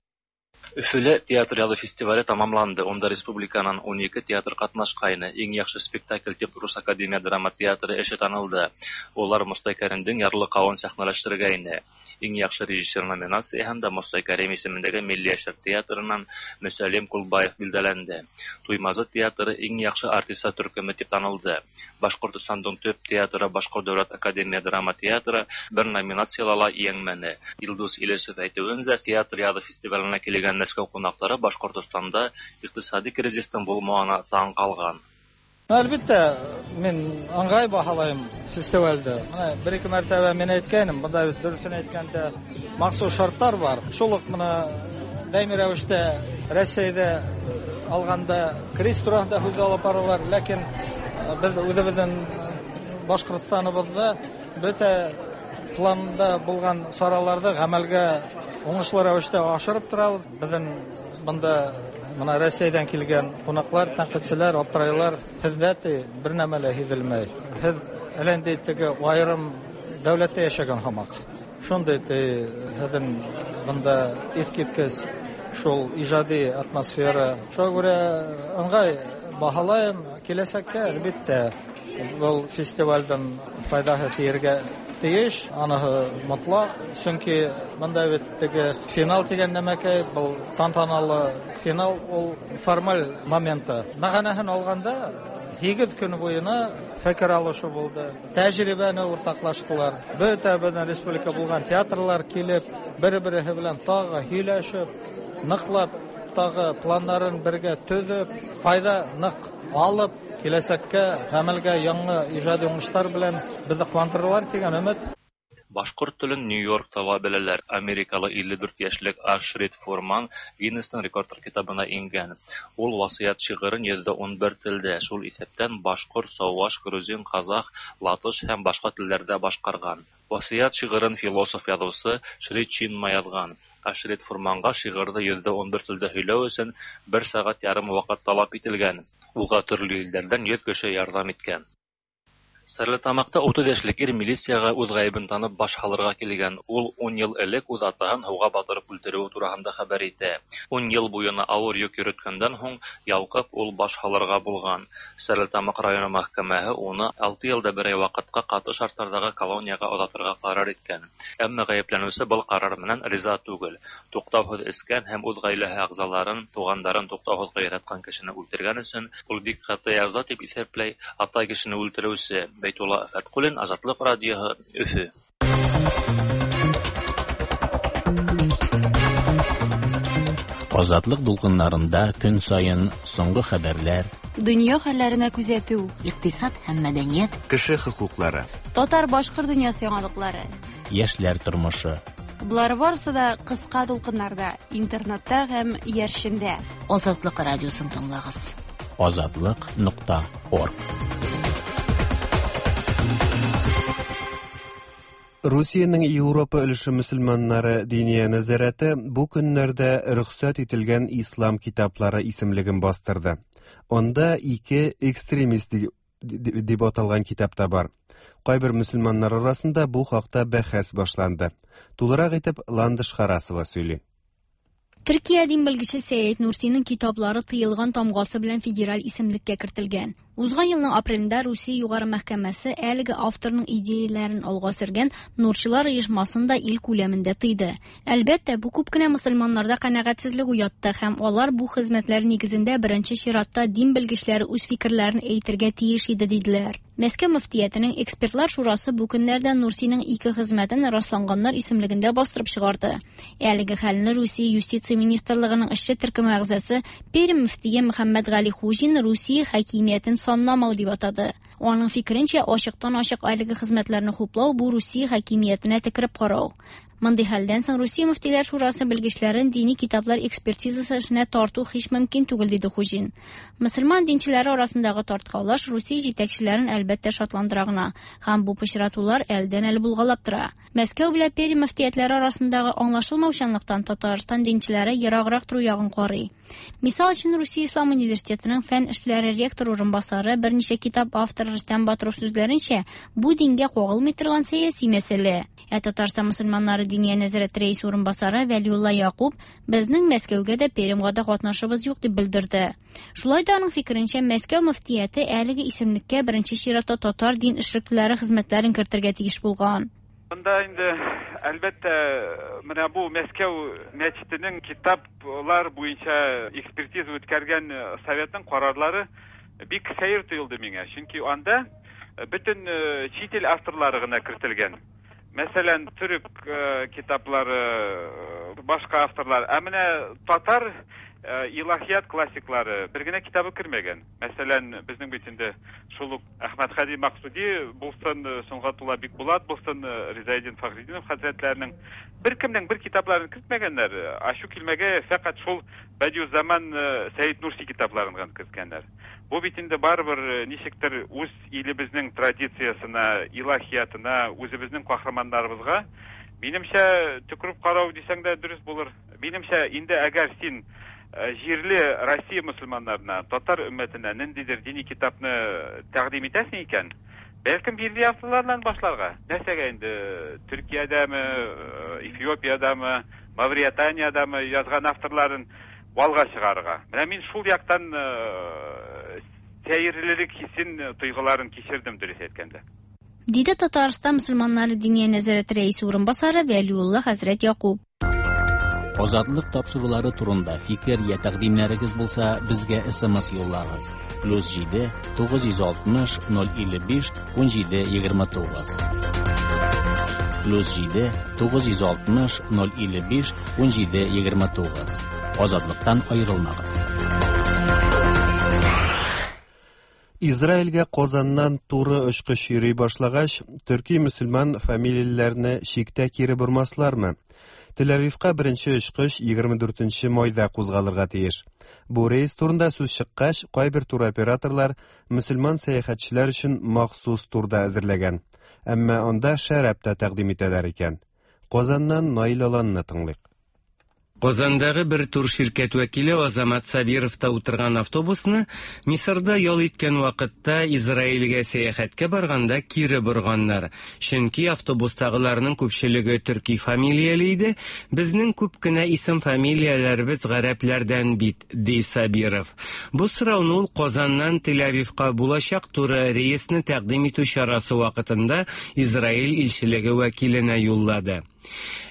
[SPEAKER 15] Өфөлә театр яҙы фестивале тамамланды. Унда республиканан 12 театр ҡатнашҡайны. Иң яҡшы спектакль тип Рус академия драма театры эше танылды. Улар Мостай Кәримдең Ярлыҡауын сәхнәләштергәйне. Иң яҡшы режиссер номинацияһында Мостай Кәрим исемендәге Милли йәштәр театрынан Мөсәлим Ҡулбаев билдәләнде. Туймазы театры иң яҡшы артистар төркөмө тип танылды. Башҡортостандың төп театры Башҡорт дәүләт академия драма театры бер номинацияла ла еңмәне. Илдус Илешев әйтеүенсә, театр яҙы фестиваленә килгән Мәскәү ҡунаҡтары Башҡортостанда иҡтисади кризистың булмауына таң ҡалған.
[SPEAKER 16] Әлбиттә, мин ыңғай баһалайым фестивальде. Мына бер-ике мәртәбә мин әйткәнем, бында бит дөрөҫөн әйткәндә махсус шарттар бар. Шул уҡ мына даими рәүештә Рәсәйҙә алғанда кризис тураһында һүҙ алып баралар, ләкин беҙ үҙебеҙҙең Башҡортостаныбыҙҙа бөтә планда булған сараларҙы ғәмәлгә уңышлы рәүештә ашырып торабыҙ. Беҙҙең бында мына Рәсәйҙән килгән ҡунаҡлар, тәнҡитселәр аптырайлар, һеҙҙә ти бер нәмә лә һиҙелмәй. Һеҙ әллә ниндәй теге айырым дәүләттә йәшәгән һымаҡ. Шундай ти һеҙҙең бында иҫ киткес шул иҗади атмосфера. Шуңа күрә ыңгай баһалайым. Киләчәккә, әлбәттә, был фестивальдән файдаһы тиергә тиеш, аныһы мотлак. Чөнки монда бит теге финал дигән нәмәкәй, был тантаналы финал, ул формаль моменты. Мәгънәһен алганда, 8 көн буена фикер алышу булды. Тәҗрибәне уртаклаштылар. Бөтә безнең республика булган театрлар килеп, бер-береһе белән тагы һөйләшеп, ныклап тагы планнарын бергә төзеп, файда нык алып, киләчәккә гамәлгә яңа иҗади уңышлар белән безне куандырырлар дигән өмет.
[SPEAKER 15] Башкорт телен Нью-Йоркта ла беләләр. Америкалы 54 яшьлек Ашрид Фурман Гиннесның рекордлар китабына иңгән. Ул Васыять шигырен 111 телдә, шул исәптән башкорт, чуаш, грузин, казах, латыш һәм башка телләрдә башкарган. Васыять шигырен философ-язучы Шри Чинмай язган. Ашрид Фурманга шигырьне 111 телдә һөйләү өчен 1 сәгать ярым вакыт таләп ителгән. Уга төрле илләрдән 100 кеше ярдәм иткән. Стәрлетамакта 30 яшьлек ир милициягә үз гаебен танып баш һалырга килгән. Ул 10 ел элек үз атаһын һуга батырып үлтерүе тураһында хәбәр итә. 10 ел буена авыр йөк йөрткәндән һуң ялкып ул баш һалырга булган. Стәрлетамак районы мәхкәмәһе уны 6 елда бер ай вакытка каты шартлардагы колониягә озатырга карар иткән. Әмма гаепләнүче был карар менән риза түгел. Туктаусыз эскән һәм үз гаиләһе әгъзаларын, тугандарын туктаусыз кыйраткан кешене үлтергән өчен ул бик каты яза дип исәпләй ата кешене үлтерүче. Бәйтулла Фәткуллин, Азатлык радиоһы, Өфө.
[SPEAKER 2] Азатлык дулкыннарында көн саен соңгы хәбәрләр,
[SPEAKER 17] дөнья хәлләренә күзәтү,
[SPEAKER 3] икътисад һәм мәдәният,
[SPEAKER 1] кеше хокуклары,
[SPEAKER 17] татар-башкорт дөньясы яңалыклары,
[SPEAKER 2] яшьләр тормышы.
[SPEAKER 17] Болар барысы да кыска дулкыннарда, интернетта һәм иярчендә.
[SPEAKER 3] Азатлык радиосын тыңлагыз.
[SPEAKER 2] Азатлык.орг.
[SPEAKER 1] Русиянең Европа өлеше мөселманнары диния нәзарәте бу көннәрдә рөхсәт ителгән ислам китаплары исемлеген бастырды. Анда ике экстремист дип аталган китап та бар. Кайбер мөселманнар арасында бу хакта бәхәс башланды. Тулырак итеп Ландыш Харасова сөйли.
[SPEAKER 18] Төркия дин белгече Сәйд Нурсиның китаплары тыелган тамгасы белән федераль исемлеккә кертелгән. Узган елның апрелендә Русия югары мәхкәмәсе әлеге авторның идеяләрен алга сөргән Нурчылар оешмасын да ил күләмендә тыйды. Әлбәттә, бу күп кенә мөселманнарда канәгатьсезлек уятты һәм алар бу хезмәтләр нигезендә беренче чиратта дин белгечләре үз фикерләрен әйтергә тиеш иде диделәр. Мәскәү мөфтиятенең экспертлар шурасы бу көннәрдә Нурсиның ике хезмәтен расланганнар исемлегендә бастырып чыгарды. Әлеге хәлне Русия юстиция министрлыгының эшче төркеме әгъзасы Пермь мөфтие Мөхәммәд Гали Хуҗин Русия хакимиятен санламау дип атады. Аның фикеренчә, ачыктан-ачык әлеге хезмәтләрне хуплау бу Русия хакимиятенә текереп карау. Мондый хәлдән соң Русия мөфтиләр шурасы белгечләрен дини китаплар экспертизасы эшенә тарту һич мөмкин түгел, диде Хуҗин. Мөселман динчеләре арасындагы тарткалаш Русия җитәкчеләрен әлбәттә шатландыра гына, һәм бу пычратулар әлдән-әле булгалап тора. Мәскәү белән Пермь мөфтиятләре арасындагы аңлашылмаучанлыктан Татарстан динчеләре ераграк тору ягын карый. Мисал өчен, Русия Ислам университетының фән эшләре ректор урынбасары, берничә китап авторы Рөстәм Батыров сүзләренчә, бу дингә кагылмый торган сәяси мәсьәлә. Ә Татарстан мөселманнары диния нәзарәте рәисе урынбасары Вәлиулла Якуб безнең Мәскәүгә дә Пермьгә дә катнашыбыз юк дип белдерде. Шулай да аның фикеренчә, Мәскәү мөфтияте әлеге исемлеккә беренче чиратта татар дин эшлеклеләре хезмәтләрен кертергә тиеш булган.
[SPEAKER 19] Монда инде әлбәттә менә бу Мәскәү мәчетенең китаплар буенча экспертиза үткәргән советның карарлары бик сәер тоелды миңа. Чөнки анда бөтен чит ил авторлары гына кертелгән. Мәсәлән, төрек китаплары, башка авторлар. Ә менә татар илаһият классиклары бер генә китабы кермәгән. Мәсәлән, безнең бит инде шул ук Әхмәт Хәди Максуди булсын, Сөнгатулла Бикбулат булсын, Ризаэддин Фәхретдинов хәзрәтләренең беркемнең бер китапларын кертмәгәннәр. Ачу килмәгә фәкать шул Бәдиуззаман Сәид Нурси китапларын гына керткәннәр. Бу бит инде барыбер ничектер үз илебезнең традициясенә, илаһиятына, үзебезнең каһарманнарыбызга, минемчә, төкереп карау дисәң дә дөрес булыр. Минемчә, инде әгәр син җирле Россия мөселманнарына, татар өммәтенә ниндидер дини китапны тәкъдим итәсең икән, Бәлкем милли авторлардан башларга. Нәрсәгә инде Төркиядәме, Эфиопиядәме, Мавританиядәме язган авторларын алга чыгарырга. Менә мин шул яктан сәерлелек хисен, тойгыларын кичердем, дөрес әйткәндә.
[SPEAKER 18] Диде Татарстан мөселманнары Диния нәзарәте рәисе урынбасары Вәлиулла хәзрәт Якуб.
[SPEAKER 2] Азатлык тапшырулары турында фикер я тәкъдимнәрегез булса, безгә SMS юллагыз. Плюс 7 960 055 17 29. Плюс 7 960 055 17 29. Азатлыктан аерылмагыз.
[SPEAKER 1] Израильгә Казаннан туры очкыч йөри башлагач, төрки мөселман фамилияләрне чиктә кире бормаслармы? Тель-Авивка беренче очкыч 24 майда кузгалырга тиеш. Бу рейс турында сүз чыккач, кайбер туроператорлар мөселман сәяхәтчеләр өчен махсус тур да әзерләгән. Әмма анда шәраб та тәкъдим итәләр икән. Казаннан Наил Аланны тыңлыйк.
[SPEAKER 20] Казандагы бер турширкәт вәкиле Азамат Сабиров та утырган автобусны Мисырда ял иткән вакытта Израильгә сәяхәткә барганда кире борганнар. Чөнки автобустагыларның күпчелеге төрки фамилияле иде, безнең күп кенә исем-фамилияләребез гарәпләрдән бит, ди Сабиров. Бу сорауны ул Казаннан Тель-Авивка булачак туры рейсны тәкъдим итү чарасы вакытында Израиль илчелеге вәкиленә юллады.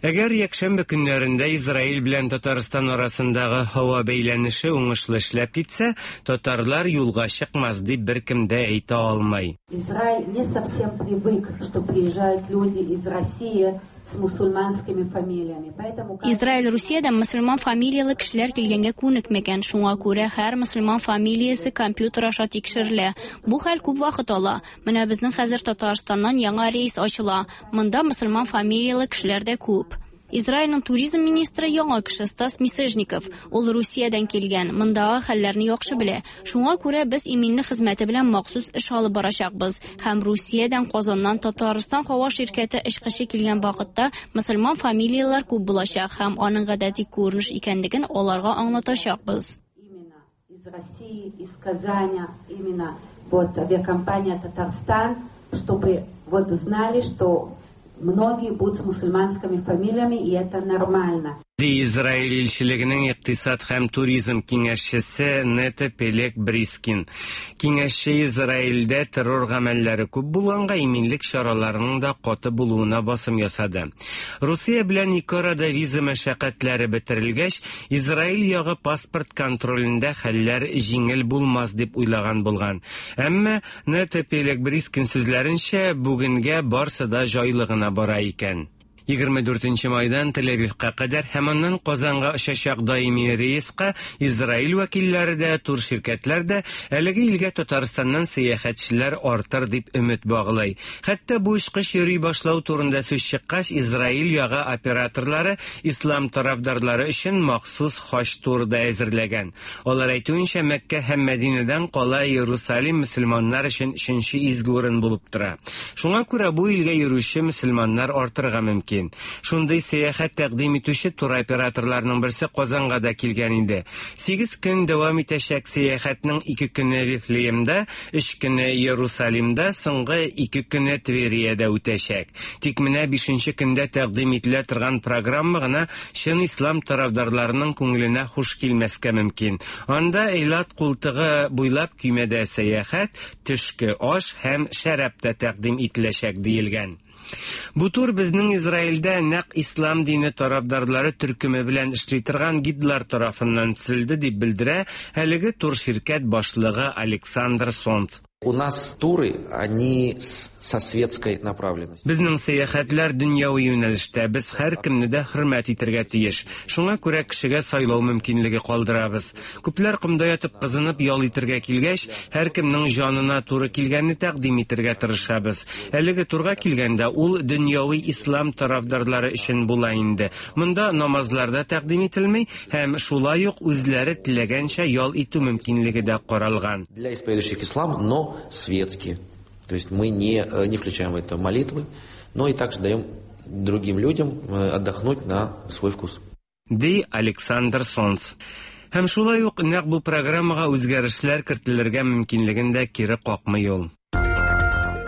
[SPEAKER 20] Әгәр якшәмбе көннәрендә Израиль белән Татарстан арасындагы һава бәйләнеше уңышлы эшләп китсә, татарлар юлга чыкмас дип беркем дә әйтә алмый.
[SPEAKER 21] Израиль не совсем привык, что приезжают люди из России с мусульманскими фамилиями. Поэтому
[SPEAKER 18] Израиль Русиядән мөселман фамилияле кешеләр килгәнгә күнекмәгән, шуңа күрә һәр мөселман фамилиясе компьютер аша тикшерелә. Бу хәл күп вакыт ала. Менә безнең хәзер Татарстаннан яңа рейс ачыла. Монда мөселман фамилияле кешеләр дә күп. Израильнең туризм министры яңа кеше Стас Мисежников. Ул Русиядән килгән, мондагы хәлләрне яхшы белә. Шуңа күрә без иминлек хезмәте белән махсус эш алып барачакбыз. Һәм Русиядән, Казаннан Татарстан һава ширкәте очкычы килгән вакытта мөселман фамилияләр күп булачак һәм аның гадәти күренеш икәнлеген аларга аңлатачакбыз.
[SPEAKER 21] Из России, из Казани, именно вот авиакомпания Татарстан, чтобы вот знали, что многие будут с мусульманскими фамилиями, и это нормально.
[SPEAKER 20] Ди Израиль илчелегенең икътисад һәм туризм киңәшчесе Нета Пелек Брискин. Киңәшче Израильдә террор гамәлләре күп булганга иминлек чараларының да каты булуына басым ясады. Русия белән ике арада виза мәшәкатьләре бетерелгәч, Израиль ягы паспорт контролендә хәлләр җиңел булмас дип уйлаган булган. Әмма Нета Пелек Брискин сүзләренчә, бүгенгә барсы да җайлы гына бара икән. 24 майдан Тель-Авивка кадәр һәм аннан Казанга очачак даими рейска Израиль вәкилләре дә, турширкәтләр дә әлеге илгә Татарстаннан сәяхәтчеләр артыр дип өмет баглый. Хәтта бу очкыч йөри башлау турында сүз чыккач, Израиль ягы операторлары ислам тарафдарлары өчен махсус хаҗ туры да әзерләгән. Алар әйтүенчә, Мәккә һәм Мәдинәдән кала Иерусалим мөселманнар өчен өченче изге урын булып тора. Шуңа күрә бу илгә йөрүче мөселманнар артырга мөмкин. Шундый сәяхәт тәкъдим итүче туроператорларның берсе Казанга да килгән инде. 8 көн дәвам итәчәк сәяхәтнең 2 көне Вифлеемда, 3 көне Иерусалимда, соңгы 2 көне Твериядә үтәчәк. Тик менә 5 көндә тәкъдим ителә торган программа гына чын ислам тарафдарларының күңеленә хуш килмәскә мөмкин. Анда Эйлат култыгы буйлап көймәдә сәяхәт, төшке аш һәм шәраб та тәкъдим ителәчәк диелгән. Бу тур безнең Израильдә нәкъ ислам дине тарафдарлары төркеме белән эшли торган гидлар тарафыннан төзелде дип белдерә әлеге турширкәт башлыгы Александр Сонц.
[SPEAKER 22] У нас туры, они со светской направленностью.
[SPEAKER 20] Безнең сәяхәтләр дөньяви юнәлештә, без һәркемне дә хөрмәт итәргә тиеш. Шуңа күрә кешегә сайлау мөмкинлеге калдырабыз. Күпләр комда ятып кызынып ял итәргә килгәч, һәркемнең җанына туры килгәнне тәкъдим итәргә тырышабыз. Әлеге турга килгәндә ул дөньяви ислам тарафдарлары өчен була инде. Монда намазлар да тәкъдим ителми һәм шулай ук үзләре теләгәнчә ял итү мөмкинлеге дә каралган.
[SPEAKER 22] Для исповедующих ислам, но светские. То есть мы не включаем в это молитвы, но и также даем другим людям отдохнуть на свой вкус.
[SPEAKER 20] Ди Александр Сонц. Һәм шулай ук нәкъ бу программага үзгәрешләр кертелергә мөмкинлеген дә кире какмый ул.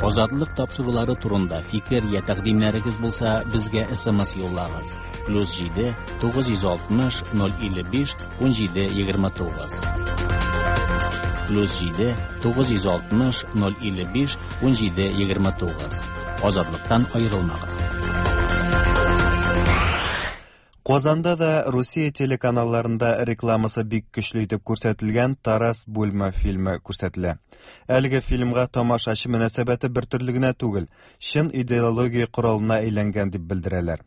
[SPEAKER 2] Азатлык тапшырулары турында фикер я тәкъдимнәрегез булса, безгә SMS юллагыз. Плюс 7 960 055 17 29. Плюс 7 960 055 17 29. Азатлыктан аерылмагыз.
[SPEAKER 1] Казанда да Русия телеканалларында рекламасы бик көчле итеп күрсәтелгән Тарас Бульба фильмы күрсәтелә. Әлеге фильмга тамашачы мөнәсәбәте бер төрле генә түгел, чын идеология коралына әйләнгән дип белдерәләр.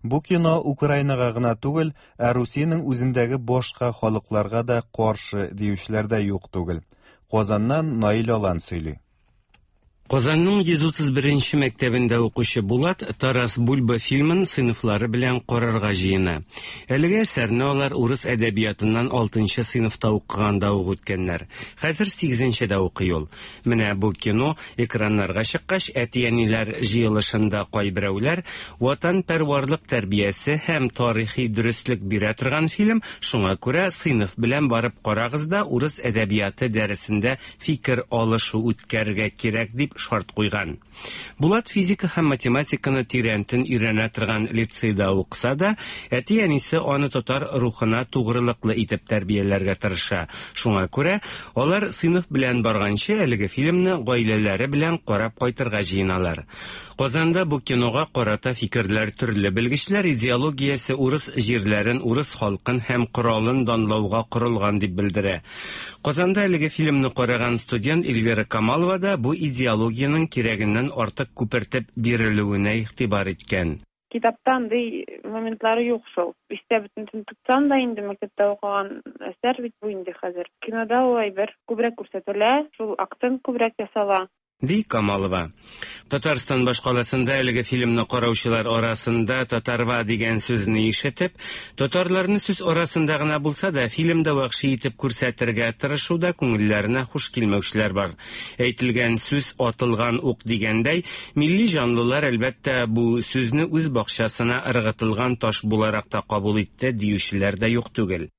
[SPEAKER 1] Бу кино Украинага гына түгел, ә Русиянең үзендәге башка халыкларга да каршы диючеләр дә юк түгел. Казаннан Наил Алан сөйли.
[SPEAKER 20] Казанның 131 нче мәктәбендә укучы Булат Тарас Бульба фильмын сыйныфлары белән карарга җыена. Әлеге әсәрне алар урыс әдәбиятыннан алтынчы сыйныфта укыганда ук үткәннәр. Хәзер сигезенчедә укый ул. Менә бу кино экраннарга чыккач, әти-әниләр җыелышында кайберәүләр, Ватанпәрварлык тәрбиясе һәм тарихи дөреслек бирә торган фильм, шуңа күрә сыйныф белән барып карагыз да урыс әдәбияты дәресендә фикер алышу үткәрергә кирәк дип шарт куйган. Булат физика һәм математиканы тирәнтен өйрәнә торган лицейда укыса да, әти-әнисе аны татар рухына тугрылыклы итеп тәрбияләргә тырыша. Шуңа күрә алар сыйныф белән барганчы әлеге фильмны гаиләләре белән карап кайтырга җыеналар. Казанда бу кинога карата фикерләр төрле. Белгечләр идеологиясе урыс җирләрен, урыс халкын һәм коралын данлауга корылган дип белдерә. Казанда әлеге фильмны караган студент Эльвира Камалова да бу идеологиянең кирәгеннән артык күпертеп бирелүенә игътибар иткән.
[SPEAKER 5] Китапта андый моментлары юк шул. Истә бөтенесен тотсаң да инде мәктәптә укыган әсәр бит бу инде хәзер. Кинода ул әйбер күбрәк күрсәтелә, шул акцент күбрәк ясала.
[SPEAKER 20] Ди Камалова. Татарстан башкаласында әлеге фильмны караучылар арасында татарва дигән сүзне ишетеп, татарларны сүз арасында гына булса да фильмда вәхши итеп күрсәтергә тырышуда күңелләренә хуш килмәүчеләр бар. Әйтелгән сүз атылган ук дигәндәй, милли җанлылар, әлбәттә, бу сүзне үз бакчасына ыргытылган таш буларак та кабул итте диючеләр дә юк түгел.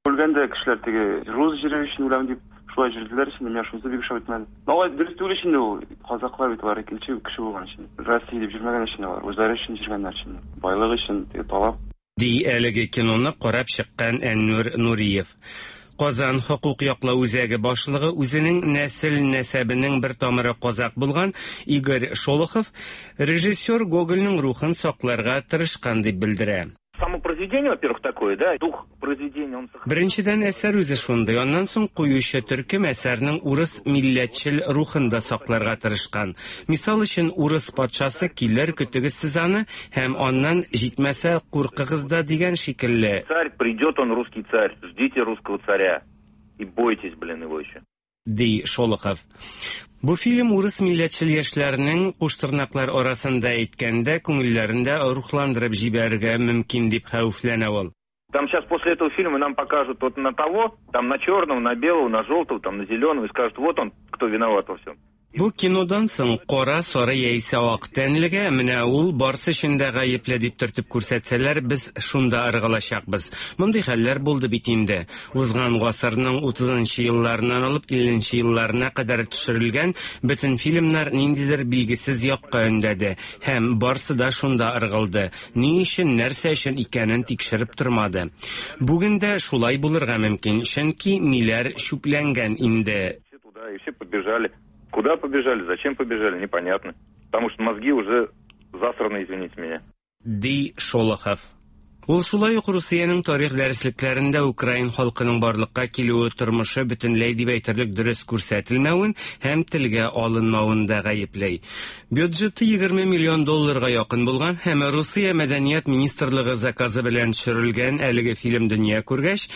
[SPEAKER 6] Үлгәндә кешеләр теге рус җире өчен үләм дип шулай йөрделәр инде, миңа шунысы бик ошап бетмәде. Но алай дөрес түгел инде ул. Казаклар бит алар икенче кеше булган өчен. Россия дип йөрмәгән өчен алар, үзләре өчен йөргәннәр өчен. Байлык өчен теге талап.
[SPEAKER 20] Ди әлеге киноны карап чыккан Әннүр Нуриев. Казан хокук яклау үзәге башлыгы үзенең нәсел-нәсәбенең бер тамыры казак булган Игорь Шолохов режиссер Гогольнең рухын сакларга тырышкан дип белдерә.
[SPEAKER 23] Само произведение, во-первых, такое, да, дух произведения, он
[SPEAKER 20] Беренчедән, әсәр үзе шундый, аннан соң куючы төркем әсәрнең урыс милләтчел рухын да сакларга тырышкан. Мисал өчен, урыс патшасы килер, көтегез сез аны, һәм аннан, җитмәсә, куркыгыз да дигән шикелле.
[SPEAKER 23] Царь, придет он, русский царь, ждите русского царя и бойтесь, блин, его еще.
[SPEAKER 20] Ди Шолохов. Бу фильм урыс милләтчел яшьләрнең, куштырнаклар арасында әйткәндә, күңелләрен дә рухландырып җибәрергә мөмкин дип хәвефләнә ул.
[SPEAKER 23] Там сейчас после этого фильма нам покажут вот на того, там на черного, на белого, на желтого, там на зеленого и скажут, вот он, кто виноват во всем.
[SPEAKER 20] Бу кинодан соң кара, сары яисә ак тәнлегә, менә ул барсы өчен дә гаепле дип төртеп күрсәтсәләр, без шунда ыргылачакбыз. Мондый хәлләр булды бит инде. Узган гасырның 30 нчы елларыннан алып 50 нче елларына кадәр төшерелгән бөтен фильмнар ниндидер билгесез якка өндәде һәм барсы да шунда ыргылды. Ни өчен, нәрсә өчен икәнен тикшереп тормады. Бүген дә шулай булырга мөмкин, чөнки миләр чүпләнгән инде.
[SPEAKER 23] Туда и все побежали. Куда побежали, зачем побежали, непонятно. Потому что мозги уже засраны, извините меня.
[SPEAKER 20] Ди Шолохов. Ул шулай ук Русиянең тарих дәреслекләрендә украин халкының барлыкка килүе, тормышы бөтенләй дип әйтерлек дөрес күрсәтелмәвен һәм телгә алынмавын да гаепли. Бюджеты 20 миллион долларга якын булган һәм Русия мәдәният министрлыгы заказы белән төшерелгән әлеге фильм дөнья күргәч,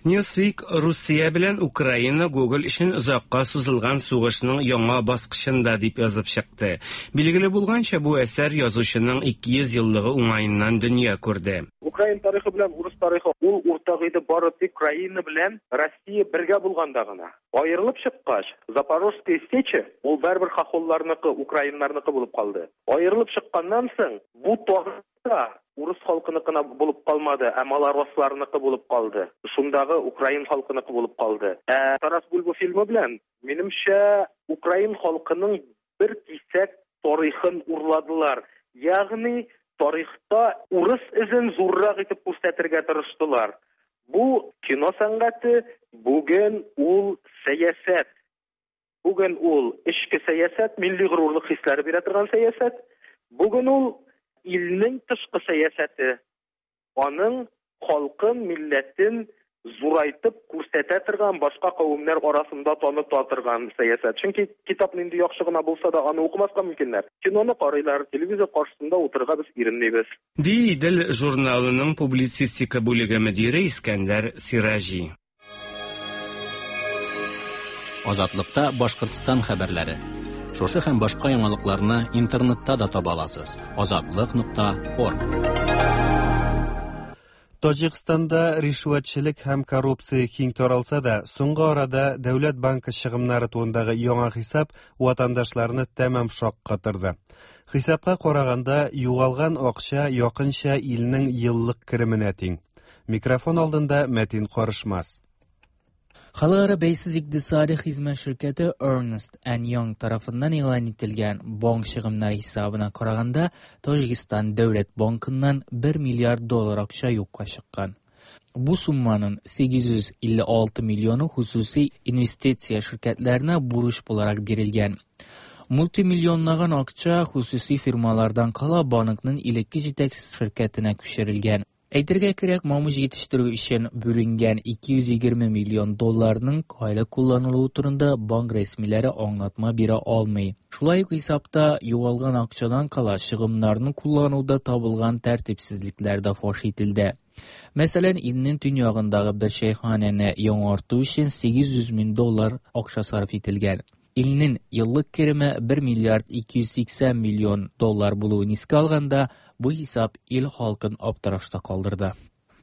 [SPEAKER 20] Newsweek Русия белән Украина Гоголь өчен озакка сузылган сугышның яңа баскычында дип язып чыкты. Билгеле булганча, бу әсәр язучының 200 еллыгы уңаеннан дөнья күрде.
[SPEAKER 24] Украин тарихы белән урыс тарихы ул уртак иде бары тик Украина белән Россия бергә булганда гына. Аерылып чыккач, Запорожская сеча ул барыбер хохолларныкы, украиннарныкы булып калды. Аерылып чыкканнан соң, бу тагын да урыс халкыныкына булып калмады, ә малоросларныкы булып калды. Шундагы украин халкыныкы булып калды. Ә Тарас Бульба фильмы белән, минемчә, украин халкының бер кисәк тарихын урладылар. Ягъни тарихта урыс эзен зуррак итеп күрсәтергә тырыштылар. Бу кино сәнгате, бүген ул сәясәт. Бүген ул эчке сәясәт, милли горурлык хисләре бирә торган сәясәт. Бүген ул илнең тышкы сәясәте. Аның халкын, милләтен зурайтып күрсәтә торган, башка кавемнәр арасында таныта торган сәясәт. Чөнки китап нинди яхшы гына булса да, аны укымаска мөмкиннәр. Киноны карыйлар, телевизор каршысында утырырга без иренмибез.
[SPEAKER 20] Ди Идел журналының публицистика бүлеге мөдире Искәндәр Сираҗи.
[SPEAKER 2] Азатлыкта Башкортстан хәбәрләре. Шушы һәм башка яңалыкларны интернетта да таба аласыз. Азатлык.орг.
[SPEAKER 1] Таҗикстанда ришвәтчелек һәм коррупция киң таралса да, соңгы арада Дәүләт банкы чыгымнары турындагы яңа хисап ватандашларны тәмам шаккатырды. Хисапка караганда, югалган акча якынча илнең еллык кеременә тиң. Микрофон алдында Мәтин Карышмас.
[SPEAKER 4] Халыкара бәйсез икътисади хезмәт ширкәте Ernst Young тарафыннан игълан ителгән банк чыгымнары хисабына караганда, Таҗикстан дәүләт банкыннан 1 миллиард доллар акча юкка чыккан. Бу сумманың 856 миллионы хосусый инвестиция ширкәтләренә бурыч буларак бирелгән. Мультимиллионлаган акча хосусый фирмалардан кала банкның элекке җитәкчесе ширкәтенә күчерелгән. Әйтергә кирәк, мамык җитештерү өчен бүленгән 220 миллион долларның кайда кулланылуы турында банк рәсмиләре аңлатма бирә алмый. Шулай ук хисапта югалган акчадан кала чыгымнарны куллануда табылган тәртипсезлекләр дә фаш ителде. Мәсәлән, илнең төньягындагы бер чәйханәне яңарту өчен 800 мең доллар акча сарыф ителгән. Илнең еллык кереме 1 миллиард 280 миллион доллар булуын искә алганда, бу хисап ил халкын аптырашта калдырды.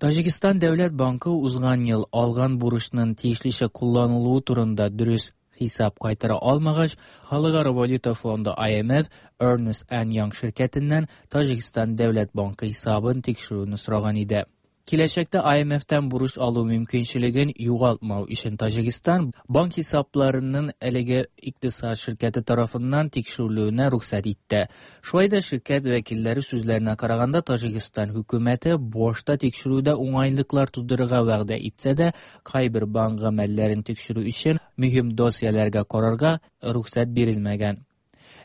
[SPEAKER 4] Таҗикстан дәүләт банкы узган ел алган бурычның тиешлечә кулланылуы турында дөрес хисап кайтара алмагач, Халыкара валюта фонды IMF Ernst Young ширкәтеннән Таҗикстан дәүләт банкы хисабын тикшерүне сораган иде. Киләчәктә IMF-тән бурыч алу мөмкинчелеген югалтмау өчен Таҗикстан банк хисапларының әлеге икътисад ширкәте тарафыннан тикшерелүенә рөхсәт итте. Шулай да ширкәт вәкилләре сүзләренә караганда, Таҗикстан хөкүмәте башта тикшерүдә уңайлыклар тудырырга вәгъдә итсә дә, кайбер банк гамәлләрен тикшерү өчен мөһим досьеләргә карарга рөхсәт бирелмәгән.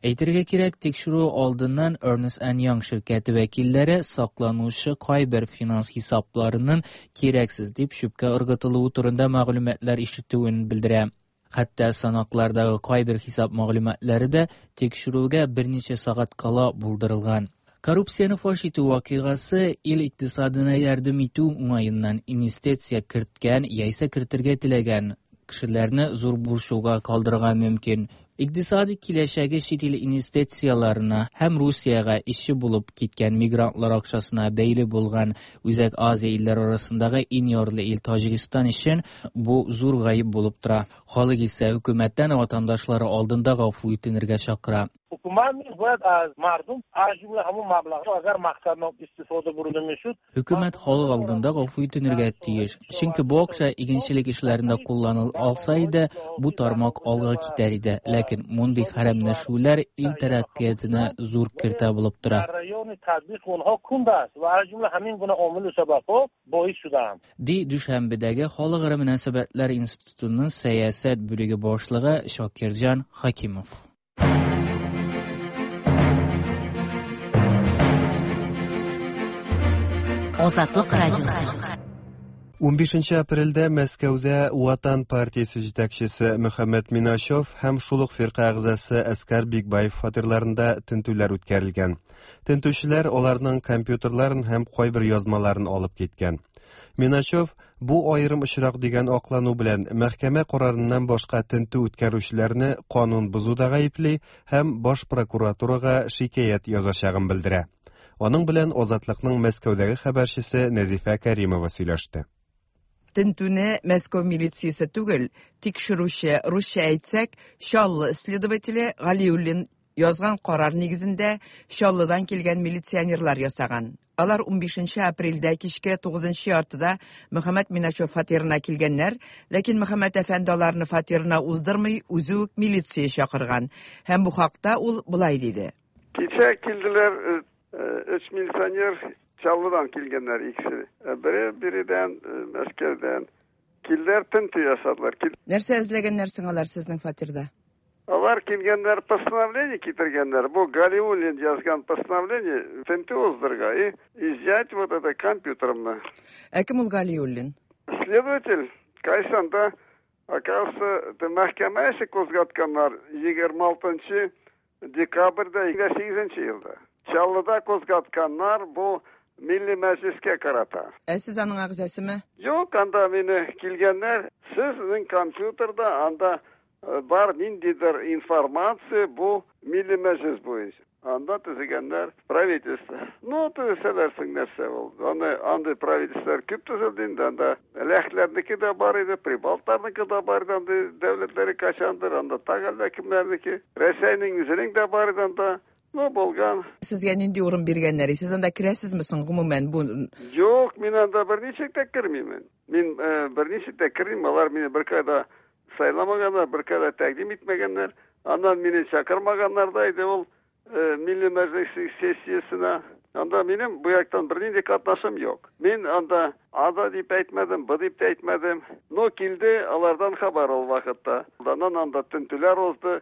[SPEAKER 4] Әйтергә кирәк, тикшерү алдыннан Ernst Young ширкәте вәкилләре сакланучы кайбер финанс хисапларының кирәксез дип чүпкә ыргытылуы турында мәгълүматлар ишетүен белдерә. Хәтта санаклардагы кайбер хисап мәгълүматлары да тикшерүгә берничә сәгать кала булдырылган. Коррупцияне фаш итү вакыйгасы ил икътисадына ярдәм итү уңаеннан инвестиция керткән яисә кертергә теләгән кешеләрне зур борчуга калдырырга мөмкин. Икътисади киләчәге чит ил инвестицияләренә һәм Русиягә эшче булып киткән мигрантлар акчасына бәйле булган Үзәк Азия илләре арасындагы иң ярлы ил Таҗикстан өчен бу зур гаеп булып тора. Халык исә хөкүмәттән ватандашлары алдында гафу үтенергә чакыра.
[SPEAKER 7] ҳукумат низ бояд аз мардум, аз ҷумла ҳамун маблағҳо, агар мақсаднок истифода бурда мешуд.
[SPEAKER 4] Хөкүмәт халык алдында гафу үтенергә тиеш. Чөнки бу акча игенчелек эшләрендә кулланыла алса иде, бу тармак алга китәр иде. Ләкин мондый хәрәмләшүләр ил тәрәккыятенә зур киртә булып тора.
[SPEAKER 7] Ҷараёни татбиқи онҳо кунд аст ва аз ҷумла ҳамин гуна омилу сабабҳо боис шудаанд.
[SPEAKER 4] Ди Дүшәнбедәге Халыкара мөнәсәбәтләр институтының сәясәт бүлеге башлыгы Шакирҗан Хакимов.
[SPEAKER 3] Азатлык радиосы.
[SPEAKER 1] 15 апрельдә Мәскәүдә Ватан партиясе җитәкчесе Мөхәммәд Миначев һәм шул ук фирка әгъзасы Әскар Бикбаев фатирларында тентүләр үткәрелгән. Тентүчеләр аларның компьютерларын һәм кайбер язмаларын алып киткән. Миначев бу аерым очрак дигән аклану белән мәхкәмә карарыннан башка тентү үткәрүчеләрне канун бозуда гаепли һәм баш прокуратурага шикаять язачагын белдерә. Аның белән Азатлыкның Мәскәүдәге хәбәрчесе Нәзифә Кәримова сөйләште.
[SPEAKER 11] Тентүне Мәскәү милициясе түгел, тикшерүче, русча әйтсәк, Чаллы следователе Галиуллин язган карар нигезендә Чаллыдан килгән милиционерлар ясаган. Алар 15 апрельдә кичке 9 яртыда Мөхәммәт Миначев фатирына килгәннәр, ләкин Мөхәммәт әфәнде аларны фатирына уздырмый, үзе үк милиция чакырган. Һәм бу хакта ул болай диде.
[SPEAKER 8] Кичә килделәр өч милиционер Чаллыдан килгәннәр икесе. Бере биредән, Мәскәүдән. Килделәр, тентү ясадылар.
[SPEAKER 11] Нәрсә эзләгәннәр соң алар сезнең фатирда?
[SPEAKER 8] Алар килгәннәр, постановление китергәннәр. Бу Галиуллин язган постановление тентү уздырырга и изъять вот это компьютерымны.
[SPEAKER 11] Ә кем ул Галиуллин?
[SPEAKER 8] Следователь кайсанда, оказывается, мәхкәмә эше кузгатканнар 26 декабрьдә 28 елда. Чаллыда кузгатканнар бу Милли Мәҗлескә карата.
[SPEAKER 11] Ә сез аның әгъзасымы?
[SPEAKER 8] Юк, анда мине килгәннәр, сезнең компьютерда анда бар ниндидер информация бу Милли Мәҗлес буенча. Анда төзегәннәр правительство. Ну, төзесәләр соң нәрсә ул? Аны андый правительстволар күп төзелде инде, анда ләхләрнеке дә бар иде, прибалтларныкы да бар иде, андый дәүләтләре качандыр, анда тагы әллә кемнәрнеке. Рәсәйнең үзенең дә бар иде анда. Ну, булган.
[SPEAKER 11] Сезгә нинди урын биргәннәр? Сез анда керәсезме соң гомумән бу?
[SPEAKER 8] Юк, мин анда берничек тә кермимен. Мин берничек тә кермим, алар мине беркайда сайламаганнар, беркайда тәкъдим итмәгәннәр. Аннан мине чакырмаганнар да иде ул Милли Мәҗлес сессиясенә. Анда минем бу яктан бернинди катнашым юк. Мин анда А да дип әйтмәдем, Б дип тә әйтмәдем. Но килде алардан хәбәр ул вакытта. Аннан анда тентүләр узды.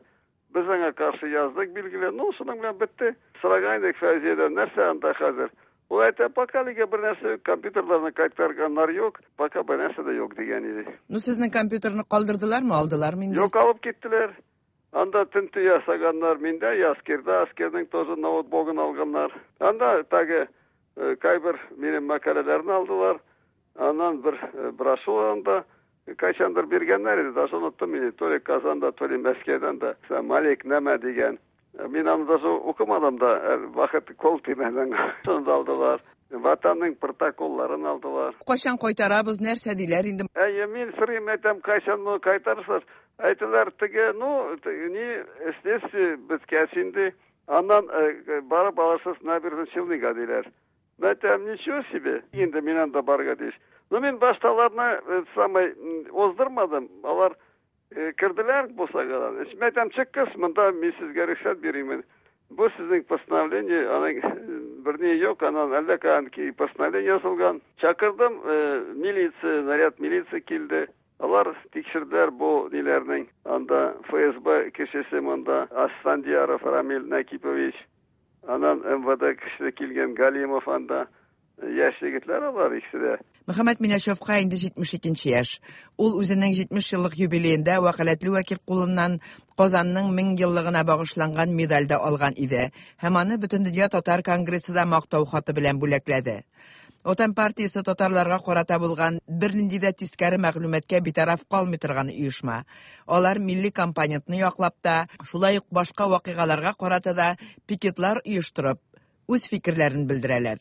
[SPEAKER 8] Без аңа каршы яздык, билгеле. Ну, шуның белән бетте. Сораган идек Фәүзиядән, нәрсә анда хәзер? Ул әйтә, пока әлегә бер нәрсә юк, компьютерларны кайтарганнар юк, пока бер нәрсә дә юк дигән иде.
[SPEAKER 11] Ну, сезнең компьютерны калдырдылармы, алдылармы инде?
[SPEAKER 8] Юк, алып киттеләр. Анда тентү ясаганнар миндә, Яскирда, Аскерның тоже ноутбугын алганнар. Анда тагы кайбер минем мәкаләләрне алдылар. Аннан бер брошюра анда кайчандыр биргәннәр иде, даже оныттым мин, то ли Казанда, то ли Мәскәүдән дә. Малик нәмә дигән. Мин аны даже укымадым да, вакыт кол тимәде. Шуны да алдылар. Ватанның протоколларын алдылар.
[SPEAKER 11] Кайчан кайтарабыз, нәрсә диләр инде?
[SPEAKER 8] Әйе, мин сорыйм, әйтәм, кайчан моны кайтарырсыз? Әйтәләр, теге, ну, ни, следствие беткәч инде, аннан барып алырсыз Набережный Челныга диләр. Әйтәм, ничего себе, инде мин анда барырга тиеш. Ну, мин башта аларны самый уздырмадым, алар керделәр бусагадан. Мин әйтәм, чыккыз, монда мин сезгә рөхсәт бирәмен. Бу сезнең постановление, аның берни юк, аннан әллә каян постановление язылган. Чакырдым, милиция, наряд милиция килде. Алар тикшерделәр бу ниләрнең. Анда ФСБ кешесе монда, Асфандияров Рамил Накипович. Аннан МВД кешесе килгән Галимов анда. Яшь егетләр алар икесе дә.
[SPEAKER 11] Мөхәммәт Минәшевка инде 72 яшь. Ул үзенең 70 еллык юбилеенда вәкаләтле вәкил кулыннан Казанның 1000 еллыгына багышланган медаль дә алган иде һәм аны Бөтендөнья татар конгрессы да мактау хаты белән бүләкләде. Ватан партиясе татарларга карата булган бернинди дә тискәре мәгълүматка битараф калмый торган оешма. Алар милли компонентны яклап та, шулай ук башка вакыйгаларга карата да пикетлар оештырып, үз фикерләрен белдерәләр.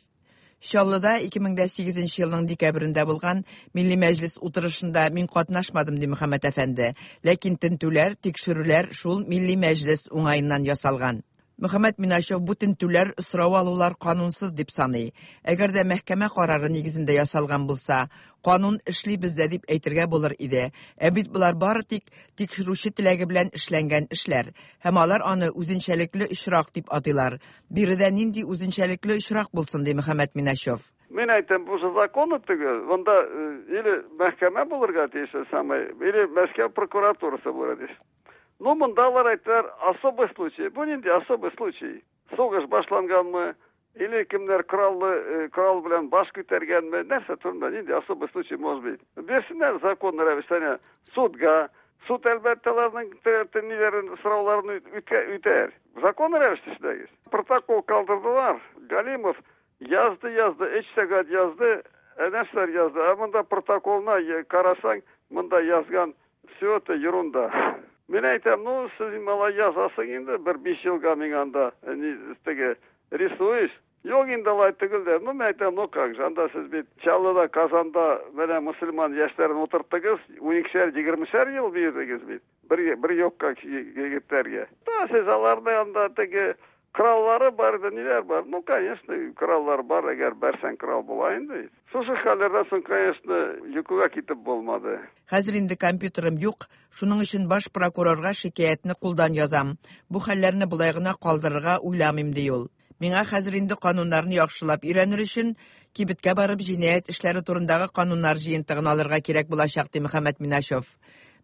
[SPEAKER 11] Чаллыда 2008 елның декабрендә булган Милли Мәҗлес утырышында мин катнашмадым, ди Мөхәммәт әфәнде. Ләкин тентүләр, тикшерүләр шул Милли Мәҗлес уңаеннан ясалган. Мөхәммәт Миначев бу тентүләр, сорау алулар канунсыз дип саный. Әгәр дә мәхкәмә карары нигезендә ясалган булса, канун эшли бездә дип әйтергә булыр иде. Ә бит болар бары тик тикшерүче теләге белән эшләнгән эшләр. Һәм алар аны үзенчәлекле очрак дип атыйлар. Биредә нинди үзенчәлекле очрак булсын, ди Мөхәммәт Миначев.
[SPEAKER 8] Мин әйтәм, бу же законы түгел. Монда или мәхкәмә булырга тиеш, самый, или Мәскәү прокуратурасы булырга тиеш. Ну, монда алар әйттеләр, особый случай. Бу нинди особый случай? Сугыш башланганмы? Или кемнәр кораллы, корал белән баш күтәргәнме? Нәрсә турында нинди особый случай может быть? Бирсеннәр законный рәвештә судга. Суд әлбәттә аларның ниләрен, сорауларын үтәр. Законный рәвештә эшләгез. Протокол калдырдылар. Галимов язды, язды, 3 сәгать язды, нәрсәләр язды. Ә монда протоколына карасаң, монда язган все это ерунда. Мин әйтәм, ну, сез малай язасың инде, бер 5 елга миңа анда, теге, рисуешь. Юк инде алай түгел дә. Ну, мин әйтәм, ну как же, анда сез бит Чаллыда, Казанда менә мөселман яшьләрен утырттыгыз, уникешәр, егермешәр ел бирдегез бит. Бер, бер юкка егетләргә. Да, сез аларны анда теге кораллары бар иде, ниләр бар. Ну, конечно, кораллар бар, әгәр бәрсәң корал була инде. Шушы хәлләрдән соң, конечно, йокыга китеп булмады.
[SPEAKER 11] Хәзер инде компьютерым юк, шуның өчен баш прокурорга шикаятьне кулдан язам. Бу хәлләрне болай гына калдырырга уйламыйм, ди ул. Миңа хәзер инде кануннарны яхшылап өйрәнер өчен кибеткә барып җинаять эшләре турындагы кануннар җыентыгын алырга кирәк булачак, ди Мөхәммәт Миначев.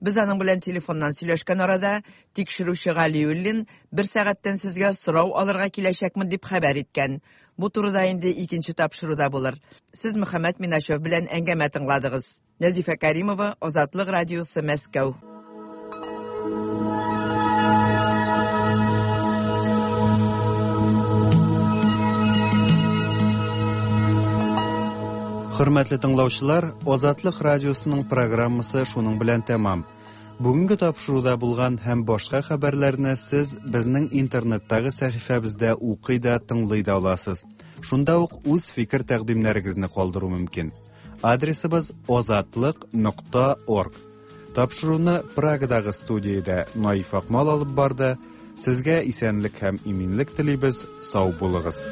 [SPEAKER 11] Без аның белән телефоннан сөйләшкән арада тикшерүче Галиуллин бер сәгатьтән сезгә сорау алырга киләчәкмен дип хәбәр иткән. Бу турыда инде икенче тапшыруда булыр. Сез Мөхәммәт Миначев белән әңгәмә тыңладыгыз. Нәзифә Кәримова, Азатлык радиосы, Мәскәү.
[SPEAKER 1] Хөрмәтле тыңлаучылар, Азатлык радиосының программасы шуның белән тәмам. Бүгенге тапшыруда булган һәм башка хәбәрләрне сез безнең интернеттагы сәхифәбездә укый да, тыңлый да аласыз. Шунда ук үз фикер-тәкъдимнәрегезне калдыру мөмкин. Адресыбыз озатлык нокта орг. Тапшыруны Прагадагы студиядә Наиф Акмал алып барды. Сезгә исәнлек һәм иминлек телибез. Сау булыгыз.